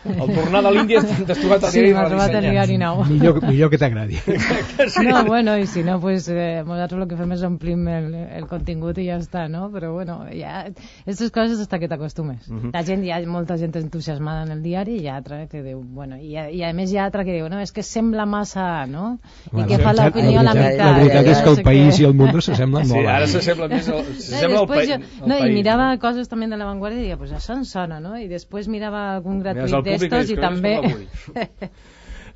Al tornar de l'Índia t'has trobat el sí, diari m'ha trobat el diari nou. Millor, millor que t'agradi. Sí. No, bueno, i si no, pues eh, nosaltres el que fem és omplim el, el contingut i ja està, no? Però bueno, ja, aquestes coses hasta que t'acostumes. Uh -huh. La gent, hi ha molta gent entusiasmada en el diari i hi ha altra que diu, bueno, i, i a més hi ha altra que diu, no, és que sembla massa, no? Bueno, i que fa l'opinió a la meitat. La veritat és que el país i el món s'assemblen molt. Sí, ara s'assembla més al, s'assembla al país. No, i mirava coses també de La Vanguardia i deia, pues això em sona, no? I després mirava algun gratuït d'estos i també...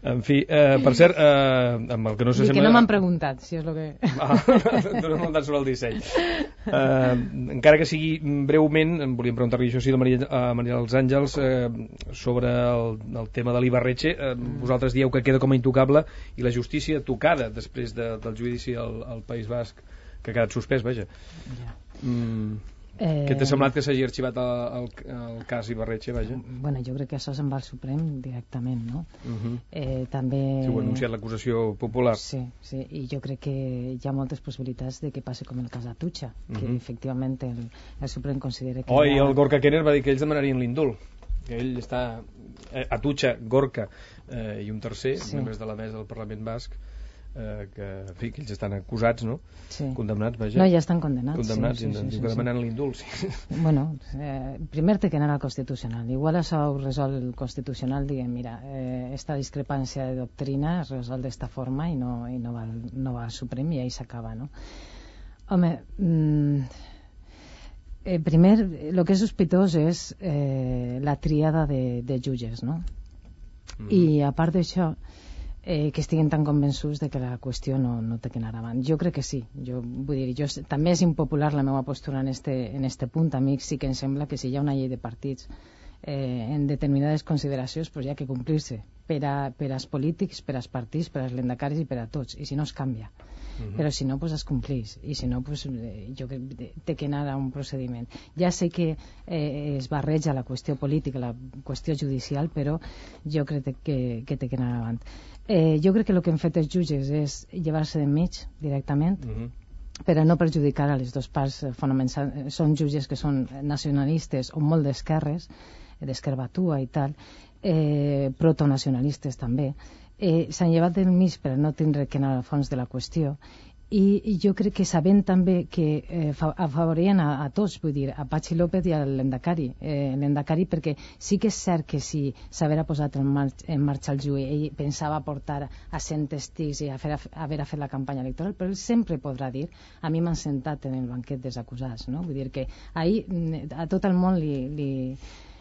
En fi, eh, per cert, eh, amb el que no s'assembla... I que no m'han preguntat, si és el que... Ah, tu no m'han preguntat sobre el disseny. Eh, encara que sigui breument, em volíem preguntar-li això sí, a Maria, a Maria dels Àngels, eh, sobre el, el tema de l'Ibarretxe. Eh, vosaltres dieu que queda com a intocable i la justícia tocada després de, del judici al, al País Basc, que ha quedat suspès, vaja. Ja. Mm, eh... Què t'ha semblat que s'hagi arxivat el, el, el cas Ibarretxe, vaja? Bueno, jo crec que això se'n va al Suprem directament, no? Uh -huh. eh, també... Si ho ha anunciat l'acusació popular. Sí, sí, i jo crec que hi ha moltes possibilitats de que passi com el cas d'Atutxa, uh -huh. que efectivament el, el Suprem considera que... Oh, i ha... el Gorka Kenner va dir que ells demanarien l'indult, que ell està... Eh, Atutxa, Gorka eh, i un tercer, sí. membres de la mesa del Parlament Basc, Eh, que, en fi, que ells estan acusats, no? Sí. Condemnats, vaja. No, ja estan condemnats. Condemnats, sí, i sí, ens sí, diu que sí, demanen sí. l'indult, sí. Bueno, eh, primer té que anar al Constitucional. Igual això ho resol el Constitucional, diguem, mira, eh, esta discrepància de doctrina es resol d'esta forma i no, i no, va, no va al Suprem i ahí s'acaba, no? Home, mmm, Eh, primer, el que és sospitós és eh, la tríada de, de jutges, no? Mm. I a part d'això, eh, que estiguin tan convençuts de que la qüestió no, no té que anar avant. Jo crec que sí. Jo, vull dir, jo, també és impopular la meva postura en este, en este punt. A mi sí que em sembla que si hi ha una llei de partits eh, en determinades consideracions, pues hi ha que complir-se per, a, per als polítics, per als partits, per als lendacaris i per a tots. I si no, es canvia. Uh-huh. Però si no, pues es complís, i si no, pues, eh, jo crec que té que anar a un procediment. Ja sé que eh, es barreja la qüestió política, la qüestió judicial, però jo crec que, que té que anar avant. Eh, jo crec que el que han fet els jutges és llevar-se d'enmig directament, uh-huh, per a no perjudicar a les dues parts fonamentals. Són jutges que són nacionalistes o molt d'esquerres, d'esquerbatua i tal, eh, protonacionalistes també. Eh, s'han llevat del mig per no tindre que anar al fons de la qüestió, i, i jo crec que sabent també que eh, afavorien a, a tots, vull dir, a Patxi López i a l'Endacari, eh, l'Endacari, perquè sí que és cert que si s'haver posat en, mar en marxa el juí, ell pensava portar a cent testics i a fer, a, haver fet la campanya electoral, però ell sempre podrà dir, a mi m'han sentat en el banquet dels acusats, no? Vull dir que ahir a tot el món li... li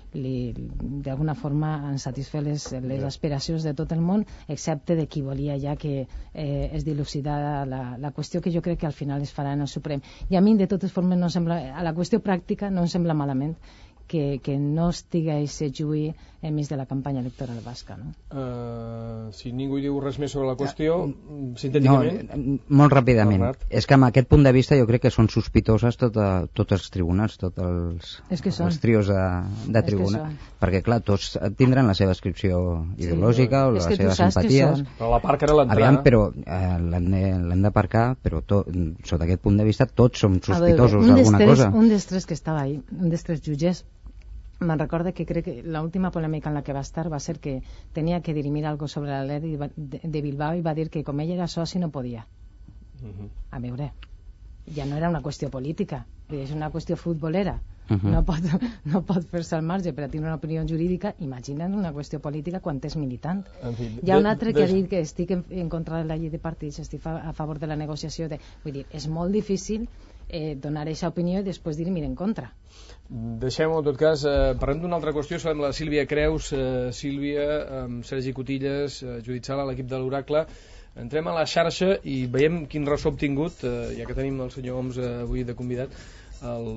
d'alguna forma han satisfet les, les aspiracions de tot el món, excepte de qui volia ja que eh, es dilucidara la, la qüestió, que jo crec que al final es farà en el Suprem. I a mi, de totes formes, no sembla, a la qüestió pràctica no em sembla malament que, que no estigui aquest juí enmig de la campanya electoral basca, no? Uh, si ningú diu res més sobre la qüestió, uh, sintèticament... No, molt ràpidament. Bernat. És que amb aquest punt de vista jo crec que són sospitoses tota, tots els tribunals, tots els, els trios de, de tribunal. Perquè, clar, tots tindran la seva inscripció ideològica, sí, o les seves simpaties. Però la part que era l'entrada... Aviam, però eh, l'hem d'aparcar, però to, sota aquest punt de vista tots som sospitosos d'alguna cosa. Un dels tres que estava ahí, un dels tres jutges, me'n recorda que crec que l'última polèmica en la que va estar va ser que tenia que dirimir algo sobre l'Atlètic de Bilbao i va dir que com ell era soci no podia. Uh-huh. A veure, ja no era una qüestió política, és una qüestió futbolera. Uh-huh. No pot, no pot fer-se al marge per a tenir una opinió jurídica. Imagina't una qüestió política quan és militant. En fi, hi ha un altre de, de... que ha dit que estic en, en contra de la llei de partits, estic a, a favor de la negociació. De... Vull dir, és molt difícil eh, donar aquesta opinió i després dir-me en contra. Deixem-ho, en tot cas, eh, parlem d'una altra qüestió. Sabem la Sílvia Creus, eh, Sílvia, amb Sergi Cotilles, eh, Judit Sala, l'equip de l'Oracle. Entrem a la xarxa i veiem quin ressò ha obtingut, eh, ja que tenim el senyor Homs eh, avui de convidat. El,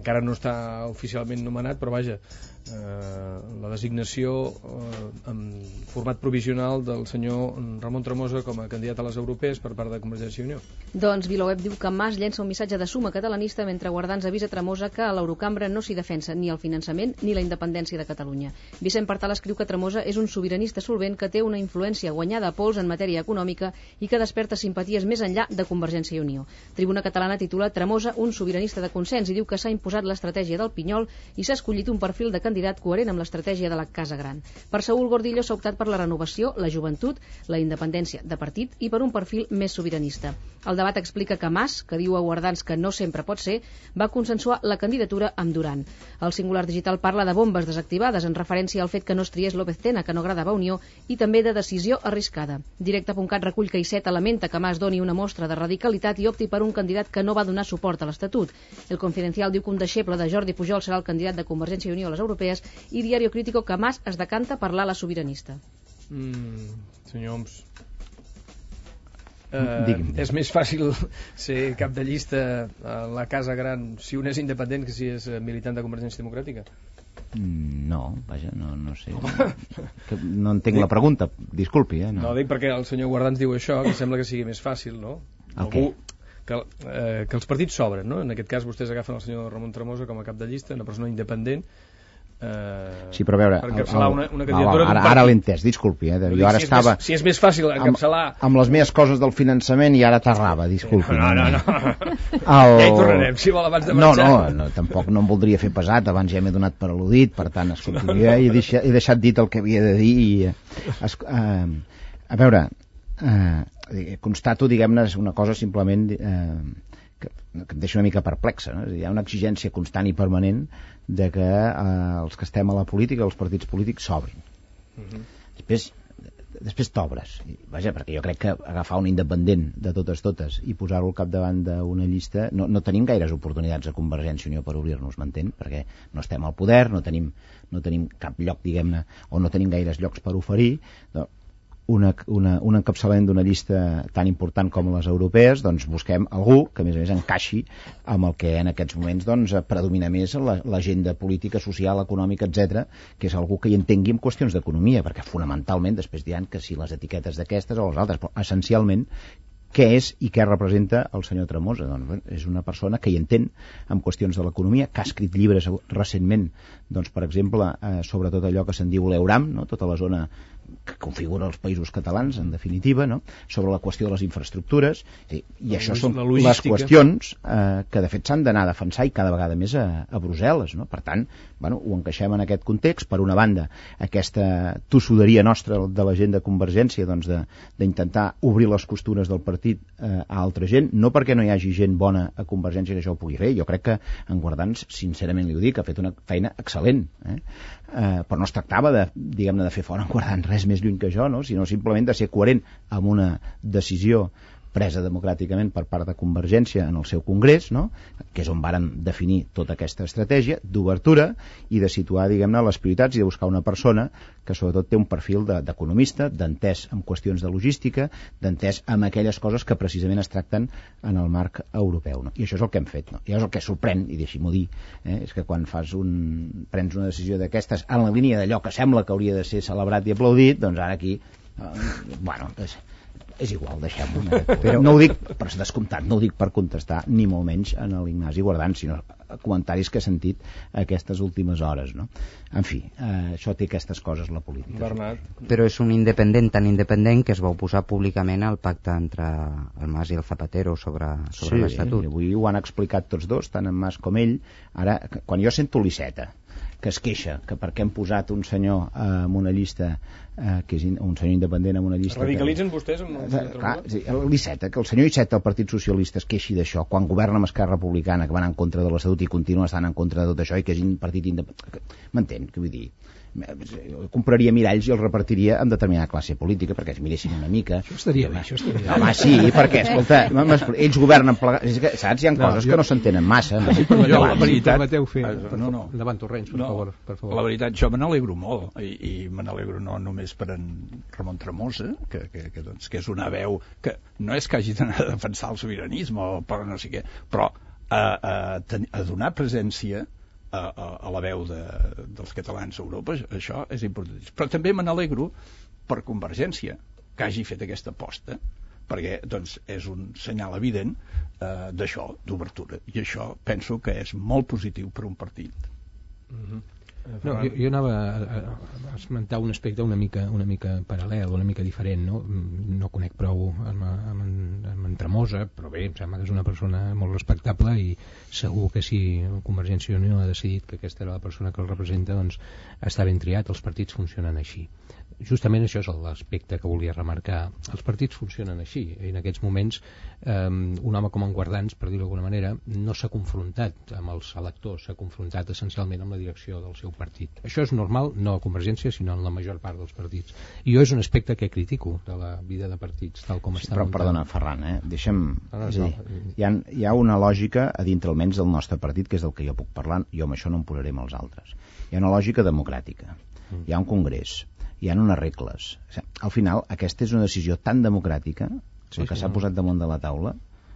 encara no està oficialment nomenat, però vaja, eh, la designació eh, en format provisional del senyor Ramon Tremosa com a candidat a les europees per part de Convergència i Unió. Doncs VilaWeb diu que Mas llença un missatge de suma catalanista mentre Guardans avisa Tremosa que a l'Eurocambra no s'hi defensa ni el finançament ni la independència de Catalunya. Vicent Partal escriu que Tremosa és un sobiranista solvent que té una influència guanyada a pols en matèria econòmica i que desperta simpaties més enllà de Convergència i Unió. Tribuna Catalana titula Tremosa un sobiranista de consens i diu que s'ha imposat l'estratègia del Pinyol i s'ha escollit un perfil de candidat coherent amb l'estratègia de la Casa Gran. Per Saúl Gordillo s'ha optat per la renovació, la joventut, la independència de partit i per un perfil més sobiranista. El debat explica que Mas, que diu a Guardans que no sempre pot ser, va consensuar la candidatura amb Duran. El Singular Digital parla de bombes desactivades en referència al fet que no es triés López Tena, que no agradava a Unió, i també de decisió arriscada. Directe punt cat recull que Iceta lamenta que Mas doni una mostra de radicalitat i opti per un candidat que no va donar suport a l'Estatut. El Confidencial diu que un deixeble de Jordi Pujol serà el candidat de Convergència i Unió a les europees i Diario Crítico que Mas es decanta per l'ala sobiranista. Mm, senyor Homs, eh, és més fàcil ser cap de llista a la Casa Gran si un és independent que si és militant de Convergència Democràtica? Mm, no, vaja, no, no sé. Que no entenc dic, la pregunta, disculpi. Eh, no. no, dic perquè el senyor Guardans diu això, que sembla que sigui més fàcil, no? El Algú... Que, eh, que els partits s'obren, no? En aquest cas vostès agafen el senyor Ramon Tremosa com a cap de llista, una persona independent, eh, sí, però a veure, per encapçalar una, una candidatura. No, ara ara l'he entès, disculpi, eh? Jo ara si estava... És més, si és més fàcil encapçalar... Amb, amb les meves coses del finançament i ara t'arrava, disculpi. No, no, no. no. El... Ja hi tornarem, si vol, abans de marxar. No, no, no, tampoc no em voldria fer pesat, abans ja m'he donat per al·ludit, per tant, escolti, no, no. Ja he, deixat, he deixat dit el que havia de dir i... Es, eh, a veure... Eh, constato, diguem-ne, una cosa simplement eh, que, que em deixa una mica perplexa, no? Hi ha una exigència constant i permanent de que eh, els que estem a la política, els partits polítics, s'obrin. Uh-huh. Després, després t'obres. Vaja, perquè jo crec que agafar un independent de totes totes i posar-lo al capdavant d'una llista, no, no tenim gaires oportunitats a Convergència i Unió per obrir-nos, m'entén? Perquè no estem al poder, no tenim, no tenim cap lloc, diguem-ne, o no tenim gaires llocs per oferir. Una, una, un encapçalament d'una llista tan important com les europees, doncs busquem algú que a més a més encaixi amb el que en aquests moments doncs, predomina més l'agenda política, social, econòmica, etcètera, que és algú que hi entengui en qüestions d'economia, perquè fonamentalment després diran que si les etiquetes d'aquestes o les altres, però essencialment què és i què representa el senyor Tremosa? Doncs és una persona que hi entén en qüestions de l'economia, que ha escrit llibres recentment, doncs, per exemple, eh, sobre tot allò que se'n diu l'Euram, no? Tota la zona que configura els països catalans, en definitiva, no? Sobre la qüestió de les infraestructures, i, i això són les qüestions eh, que de fet s'han d'anar a defensar i cada vegada més a, a Brussel·les, no? Per tant, bueno, ho encaixem en aquest context. Per una banda, aquesta tossuderia nostra de la gent de Convergència, doncs d'intentar obrir les costures del partit eh, a altra gent, no perquè no hi hagi gent bona a Convergència que això ho pugui fer, jo crec que en Guardans, sincerament li ho dic, ha fet una feina excel·lent, eh? Eh, però no es tractava de, diguem-ne, de fer fora en Guardans res més lluny que això, no? Sinó simplement de ser coherent amb una decisió presa democràticament per part de Convergència en el seu congrés, no? Que és on varen definir tota aquesta estratègia d'obertura i de situar, diguem-ne, les prioritats i de buscar una persona que sobretot té un perfil d'economista, de, d'entès en qüestions de logística, d'entès en aquelles coses que precisament es tracten en el marc europeu, no? I això és el que hem fet, no? I és el que sorprèn, i deixi-m'ho dir, eh? És que quan fas un, prens una decisió d'aquestes en la línia d'allò que sembla que hauria de ser celebrat i aplaudit, doncs ara aquí, eh, bueno, és... és igual, deixem-ho. Però no ho dic per descomptat, no ho dic per contestar ni molt menys en l'Ignasi Guardans, sinó comentaris que he sentit aquestes últimes hores, no? En fi, eh, això té aquestes coses la política. Bernat. Però és un independent tan independent que es va oposar públicament al pacte entre el Mas i el Zapatero sobre, sobre sí, l'Estatut. Sí, avui ho han explicat tots dos, tant en Mas com ell. Ara, quan jo sento l'Iceta que es queixa que perquè hem posat un senyor eh, en una llista eh, que és in, un senyor independent en una llista... Radicalitzen que, vostès amb el eh, clar, sí, l'Iceta, que el senyor Iceta del Partit Socialista es queixi d'això quan governa amb Esquerra Republicana, que van en contra de l'Estatut i continua estant en contra de tot això i que és un partit independent... M'entén? Què vull dir? Compraria miralls i els repartiria en determinada classe política perquè es miressin una mica. Això estaria bé, això estaria bé. Home, sí, perquè, escolta, ells governen plegats, és que, saps, hi ha coses no, jo... que no s'entenen massa. No? Sí, jo, la veritat... Permeteu fer... No, no. Endavant, Torrents, per, no, favor, per favor. La veritat, jo me n'alegro molt, i, i me n'alegro no només per en Ramon Tremosa, que, que, que, doncs, que és una veu que no és que hagi d'anar a defensar el sobiranisme o per no sé què, però a, a, a donar presència A, a, a la veu de, dels catalans a Europa, això és important. Però també me n'alegro per Convergència que hagi fet aquesta aposta, perquè doncs, és un senyal evident eh, d'això, d'obertura, i això penso que és molt positiu per un partit. Mm-hmm. No, jo, jo anava a, a esmentar un aspecte una mica, una mica paral·lel, una mica diferent, no? No conec prou amb, amb, amb en Tremosa, però bé, em sembla que és una persona molt respectable i segur que si Convergència i Unió ha decidit que aquesta era la persona que el representa, doncs està ben triat, els partits funcionen així. Justament això és l'aspecte que volia remarcar. Els partits funcionen així. En aquests moments, eh, un home com en Guardans, per dir-ho d'alguna manera, no s'ha confrontat amb els electors, s'ha confrontat essencialment amb la direcció del seu partit. Això és normal, no a Convergència, sinó en la major part dels partits. I jo és un aspecte que critico de la vida de partits, tal com sí, està però, muntant. Perdona, Ferran, eh? Deixa'm... Ah, no, és a dir, no. hi, ha, hi ha una lògica a dintre almenys del nostre partit, que és del que jo puc parlar, jo amb això no em posaré amb els altres. Hi ha una lògica democràtica. Mm. Hi ha un congrés. Hi ha unes regles. O sigui, al final, aquesta és una decisió tan democràtica, sí, el que s'ha sí, posat damunt de la taula,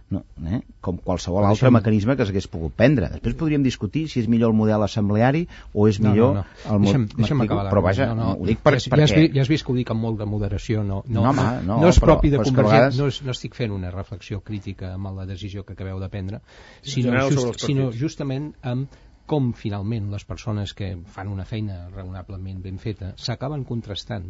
no, eh? com qualsevol altre deixem... mecanisme que s'hagués pogut prendre. Després podríem discutir si és millor el model assembleari o és millor no, no, no. el model... Deixa'm acabar. Però vaja, no, no. ho dic per, ja, perquè... Ja has, vist, ja has vist que ho dic amb molt de moderació, no, no, no, home, no, no és però, propi de Convergència, vegades... no, és, no estic fent una reflexió crítica amb la decisió que acabeu de prendre, sinó, just, sinó justament amb com finalment les persones que fan una feina raonablement ben feta s'acaben contrastant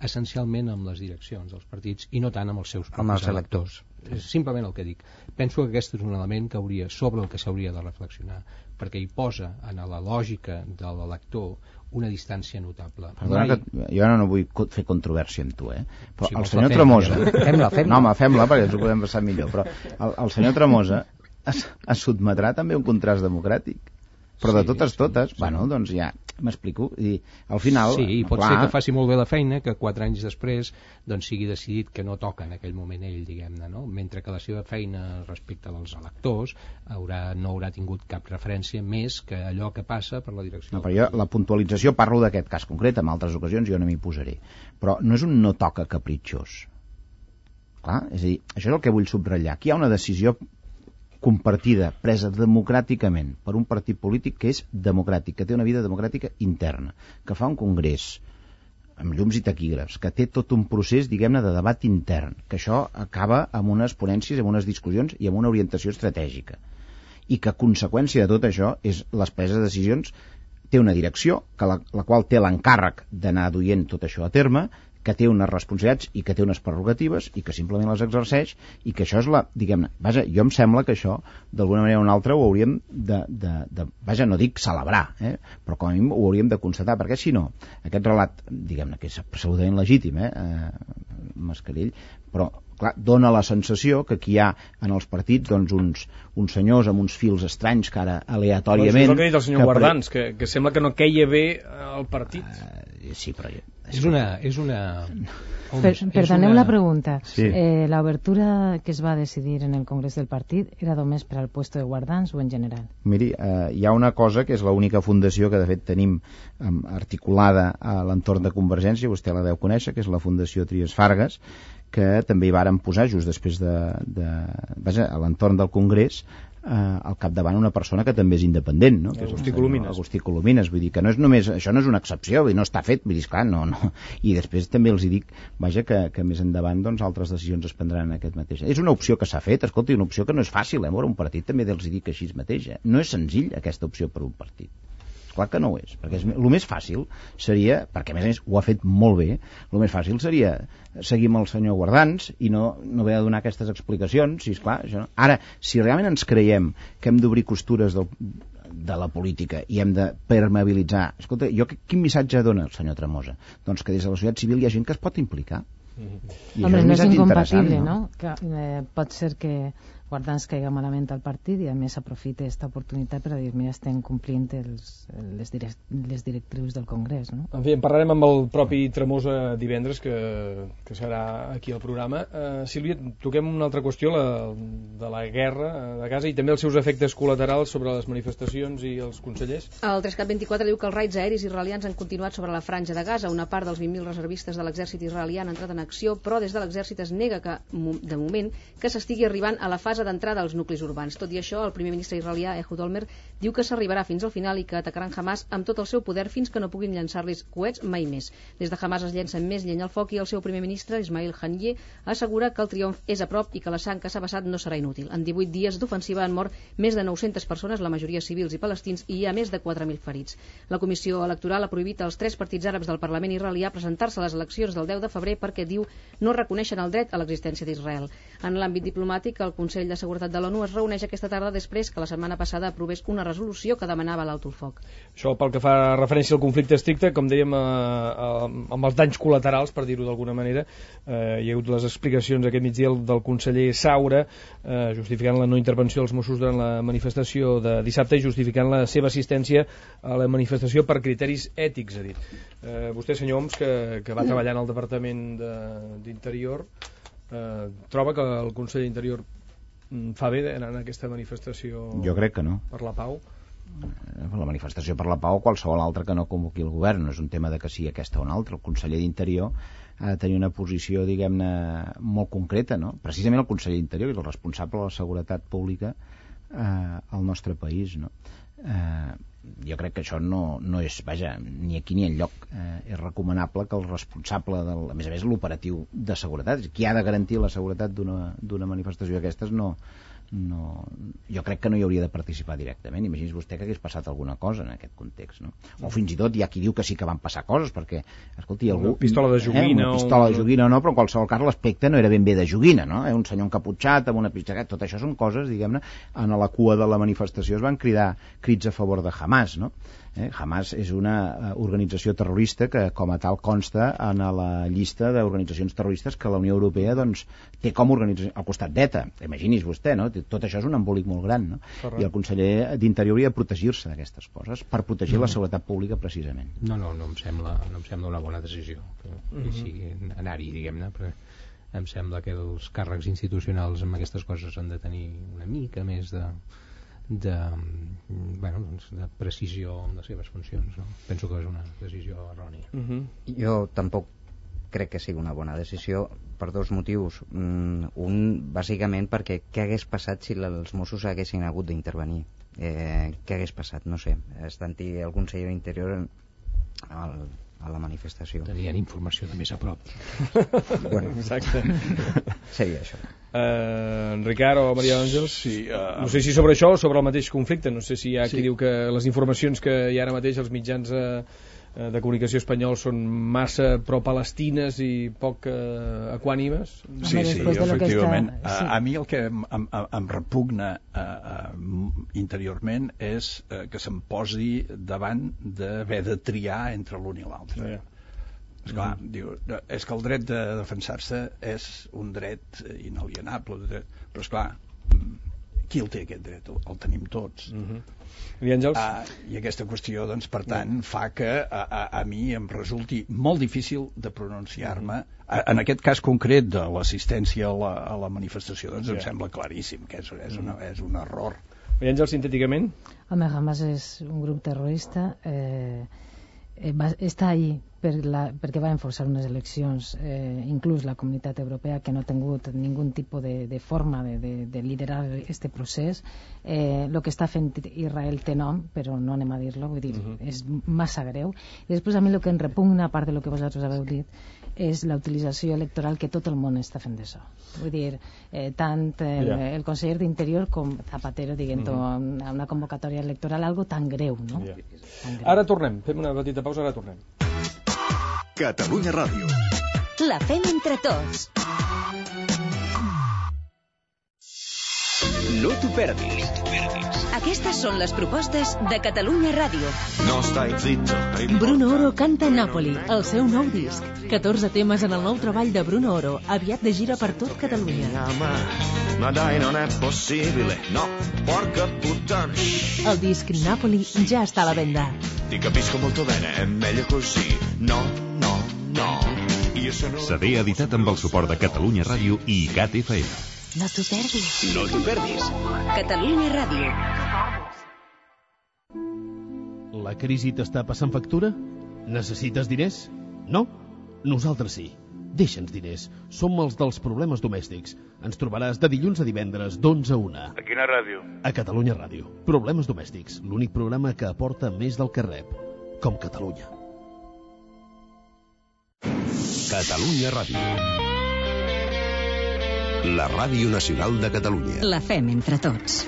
essencialment amb les direccions dels partits i no tant amb els seus propis amb els electors. És simplement el que dic. Penso que aquest és un element que hauria, sobre el que s'hauria de reflexionar, perquè hi posa en la lògica de l'elector una distància notable. Perdona, Mai... que jo no vull fer controvèrsia amb tu, eh? Però si el senyor Tremosa... Fem-la, fem-la. No, home, fem-la perquè ens ho podem passar millor, però el, el senyor Tremosa es, es sotmetrà també a un contrast democràtic. Però de totes, totes, sí, sí. Bueno, doncs ja, M'explico? I al final... Sí, i pot clar... ser que faci molt bé la feina, que quatre anys després doncs, sigui decidit que no toca en aquell moment ell, diguem-ne, no? Mentre que la seva feina respecte als electors haurà, no haurà tingut cap referència més que allò que passa per la direcció. No, però jo, la puntualització, parlo d'aquest cas concret, en altres ocasions jo no m'hi posaré. Però no és un no toca capritxós. Clar, és a dir, això és el que vull subratllar. Aquí hi ha una decisió compartida, presa democràticament per un partit polític que és democràtic, que té una vida democràtica interna, que fa un congrés amb llums i taquígrafs, que té tot un procés, diguem-ne, de debat intern, que això acaba amb unes ponències, amb unes discussions i amb una orientació estratègica. I que a conseqüència de tot això és les preses de decisions, té una direcció, que la, la qual té l'encàrrec d'anar duient tot això a terme, que té unes responsabilitats i que té unes prerrogatives i que simplement les exerceix i que això és la, diguem-ne, vaja, jo em sembla que això d'alguna manera o una altra ho hauríem de, de, de vaja, no dic celebrar, eh? Però com a mínim ho hauríem de constatar, perquè si no, aquest relat, diguem-ne, que és absolutament legítim, eh? eh Mascarell, però clar, dona la sensació que aquí hi ha en els partits doncs, uns, uns senyors amb uns fils estranys que ara aleatòriament... Doncs és el que ha dit el senyor que Guardans, que, que sembla que no queia bé al partit. Uh, sí, però... És una... És una... Per, perdoneu una... la pregunta. Sí. Eh, la obertura que es va decidir en el Congrés del Partit era només per al puesto de Guardans o en general? Miri, eh, hi ha una cosa que és l'única fundació que de fet tenim eh, articulada a l'entorn de Convergència, vostè la deu conèixer, que és la Fundació Trias Fargas, que també hi varen posar just després de, de vaja, a l'entorn del Congrés eh, al capdavant una persona que també és independent, no? Que és Agustí Colomines. Agustí Colomines, vull dir que no és només, això no és una excepció, vull dir, no està fet, vull dir, esclar, no, no. I després també els hi dic, vaja, que, que més endavant doncs altres decisions es prendran en aquest mateix. És una opció que s'ha fet, escolta, una opció que no és fàcil, eh? Veure un partit també els hi dic així mateix, eh? No és senzill aquesta opció per un partit. Clar que no ho és, perquè és, el més fàcil seria, perquè a més a més ho ha fet molt bé, el més fàcil seria seguir amb el senyor Guardans i no, no haver de donar aquestes explicacions, si esclar, això no. Ara, si realment ens creiem que hem d'obrir costures del, de la política i hem de permeabilitzar, escolta, jo quin missatge dona el senyor Tremosa? Doncs que des de la societat civil hi ha gent que es pot implicar. Mm-hmm. Home, no és incompatible, no? no? Que, eh, pot ser que Guardans caiga malament al partit i a més aprofite aquesta oportunitat per a dir, mira, estem complint els, les, direct, les directrius del Congrés, no? En fi, en parlarem amb el propi Tremosa divendres, que, que serà aquí al programa. Uh, Sílvia, toquem una altra qüestió, la de la guerra de Gaza i també els seus efectes col·laterals sobre les manifestacions i els consellers. El tres cat vint-i-quatre diu que els raids aeris israelians han continuat sobre la franja de Gaza. Una part dels vint mil reservistes de l'exèrcit israelià han entrat en acció, però des de l'exèrcit es nega que, de moment, que s'estigui arribant a la fase d'entrada als nuclis urbans. Tot i això, el primer ministre israelià, Ehud Olmert, diu que s'arribarà fins al final i que atacaran Hamas amb tot el seu poder fins que no puguin llançar-los coets mai més. Des de Hamas es llencen més llenya al foc i el seu primer ministre, Ismail Haniyeh, assegura que el triomf és a prop i que la sang que s'ha vessat no serà inútil. En divuit dies d'ofensiva han mort més de nou-centes persones, la majoria civils i palestins, i hi ha més de quatre mil ferits. La Comissió Electoral ha prohibit als tres partits àrabs del Parlament israelià presentar-se a les eleccions del deu de febrer perquè, diu, no reconeixen el dret a l'existència d'Israel. En l'àmbit diplomàtic, el Consell de Seguretat de l'ONU es reuneix aquesta tarda després que la setmana passada aprovés una resolució que demanava l'alto el foc. Això pel que fa referència al conflicte estricte, com dèiem, eh, eh, amb els danys col·laterals, per dir-ho d'alguna manera, eh, hi ha hagut les explicacions aquest migdia del conseller Saura, eh, justificant la no intervenció dels Mossos durant la manifestació de dissabte i justificant la seva assistència a la manifestació per criteris ètics, ha dit. Eh, vostè, senyor Homs, que, que va treballar en el Departament d'Interior, eh, troba que el conseller d'Interior fa bé d'anar en aquesta manifestació? Jo crec que no. Per la pau? La manifestació per la pau o qualsevol altra que no convoqui el govern, no és un tema de que sigui aquesta o una altra. El conseller d'Interior ha de tenir una posició, diguem-ne, molt concreta, no? Precisament el conseller d'Interior és el responsable de la seguretat pública eh, al nostre país, no? Eh, jo crec que això no, no és, vaja, ni aquí ni enlloc eh, és recomanable que el responsable del, a més a més l'operatiu de seguretat, qui ha de garantir la seguretat d'una manifestació d'aquestes, no, no, jo crec que no hi hauria de participar directament. Imagini's vostè que hagués passat alguna cosa en aquest context, no? O fins i tot hi ha qui diu que sí que van passar coses perquè, escolti, algú... Una pistola de joguina, eh, una pistola de joguina o no, però en qualsevol cas l'aspecte no era ben bé de joguina, no? Eh, un senyor encaputxat amb una pistola, tot això són coses, diguem-ne, en la cua de la manifestació es van cridar crits a favor de Hamas, no? Eh, Hamas és una uh, organització terrorista que com a tal consta en la llista d'organitzacions terroristes que la Unió Europea doncs, té com a organització al costat d'ETA. Imagini's vostè, no? tot això és un embolic molt gran, no? I el conseller d'Interior hauria de protegir-se d'aquestes coses per protegir no. la seguretat pública precisament. No, no, no em sembla, no em sembla una bona decisió que, que uh-huh. sigui anar-hi, diguem-ne, perquè em sembla que els càrrecs institucionals amb aquestes coses han de tenir una mica més de de, bueno, doncs de precisió en les seves funcions, no? Penso que és una decisió errònia. Uh-huh. Jo tampoc crec que sigui una bona decisió per dos motius. Mm, un, bàsicament, perquè què hagués passat si els Mossos haguessin hagut d'intervenir? Eh, què hagués passat? No sé. Estant-hi el conseller d'Interior al, a la manifestació. Tenien informació de més a prop. Bueno, exacte. Seria això. Uh, en Ricard o Maria Àngels, sí, uh, no sé si sobre això o sobre el mateix conflicte, no sé si hi ha sí. qui diu que les informacions que hi ha ara mateix els mitjans uh, de comunicació espanyols són massa pro-palestines i poc uh, equànimes. Sí, sí, efectivament. Està... Sí. A, a mi el que em, em, em repugna uh, uh, interiorment és uh, que se'm posi davant d'haver de triar entre l'un i l'altre. Yeah. Esclar, mm-hmm. diu, és que el dret de defensar-se és un dret inalienable, però esclar, qui el té aquest dret? El, el tenim tots. Mm-hmm. I Àngels? Ah, I aquesta qüestió, doncs, per tant, mm. fa que a, a, a mi em resulti molt difícil de pronunciar-me. Mm-hmm. En aquest cas concret de l'assistència a, la, a la manifestació, doncs yeah. em sembla claríssim que és, és, una, és un error. I Àngels, sintèticament? Home, Hamas és un grup terrorista, eh, eh, va, està ahí per la, perquè va enforçar unes eleccions, eh, inclús la comunitat europea, que no ha tingut ningú tipus de, de forma de, de, de liderar este procés. Eh, el que està fent Israel té nom, però no anem a dir-lo, vull dir, uh-huh. és massa greu. I després a mi el que em repugna, a part de lo que vosaltres haveu dit, és la utilització electoral que tot el món està fent d'això. Vull dir, eh, tant el, yeah. el conseller d'Interior com Zapatero dient-ho uh-huh. a una convocatòria electoral, algo tan greu, no? Yeah. Tan greu. Ara tornem, fem una petita pausa, ara tornem. Catalunya Ràdio. La fem entre tots. No t'ho perdis. Aquestes són les propostes de Catalunya Ràdio. No stai zitto. Bruno Oro canta Nàpoli, el seu nou disc. catorze temes en el nou treball de Bruno Oro, aviat de gira per tot Catalunya. Ma dai, non è possibile. No, porca puttana. El disc Nàpoli ja està a la venda. Ti capisco molto bene, è meglio così. No, no, no. C D editat amb el suport de Catalunya Ràdio i I C A T F M. No t'ho perdis. No t'ho perdis. Catalunya Ràdio. La crisi t'està passant factura? Necessites diners? No? Nosaltres sí. Deixa'ns diners. Som els dels problemes domèstics. Ens trobaràs de dilluns a divendres d'onze a una. A quina ràdio? A Catalunya Ràdio. Problemes domèstics. L'únic programa que aporta més del que rep. Com Catalunya. Catalunya Ràdio. La Ràdio Nacional de Catalunya. La fem entre tots.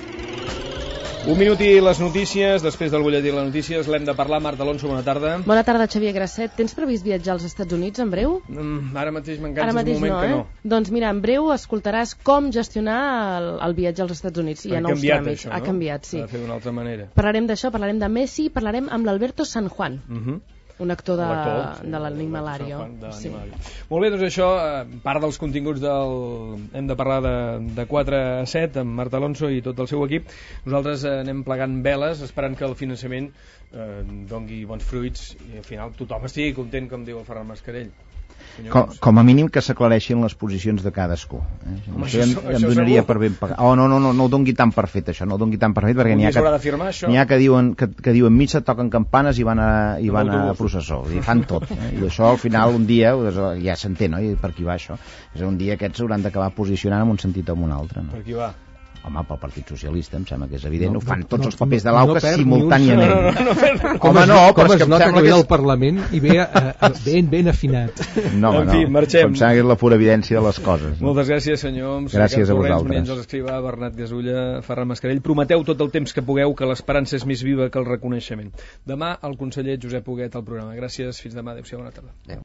Un minut i les notícies. Després del butlletí de les notícies l'hem de parlar. Marta Alonso, bona tarda. Bona tarda, Xavier Grasset. Tens previst viatjar als Estats Units en breu? Mm, ara mateix m'enganxa un moment no, que no. Eh? Doncs mira, en breu escoltaràs com gestionar el, el viatge als Estats Units. Hi ha, ha nous tràmits. Això, no? Ha canviat, sí. S'ha de fer d'una altra manera. Parlarem d'això, parlarem de Messi, parlarem amb l'Alberto San Juan. Uh -huh. Un actor de, sí, de l'Animalario. Sí. Molt bé, doncs això, part dels continguts del... hem de parlar de, de quatre a set amb Marta Alonso i tot el seu equip. Nosaltres anem plegant veles esperant que el finançament eh, dongui bons fruits i al final tothom estigui content, com diu el Ferran Mascarell. Com, com a mínim que s'aclareixin les posicions de cadascú. Eh? Home, això, això, em, em donaria segur. Per ben pagat. Oh, no, no, no, no ho dongui tan per fet, això, no ho dongui tan per fet, perquè n'hi ha, que, n'hi ha que diuen que, que diuen missa, toquen campanes i van a, i van a processó. I fan tot. Eh? I això, al final, un dia, ja s'entén, no? I per qui va això? És un dia aquests s'hauran d'acabar posicionant en un sentit o en un altre. No? Per qui va? Home, pel Partit Socialista, em sembla que és evident, no, ho fan tots no, els papers de l'Auca no simultàniament. No, no, no, no, com Home, no, com però es, es nota que ve del Parlament i ve uh, ben, ben afinat. No, home, en fi, no. Marxem. Em sembla que és la pura evidència de les coses. No? Moltes gràcies, senyor. Gràcies a vosaltres. Maria Àngels Escrivà, Bernat Gasulla, Ferran Mascarell. Prometeu tot el temps que pugueu que l'esperança és més viva que el reconeixement. Demà, el conseller Josep Huguet al programa. Gràcies, fins demà. Adéu-siau, bona tarda. Adéu.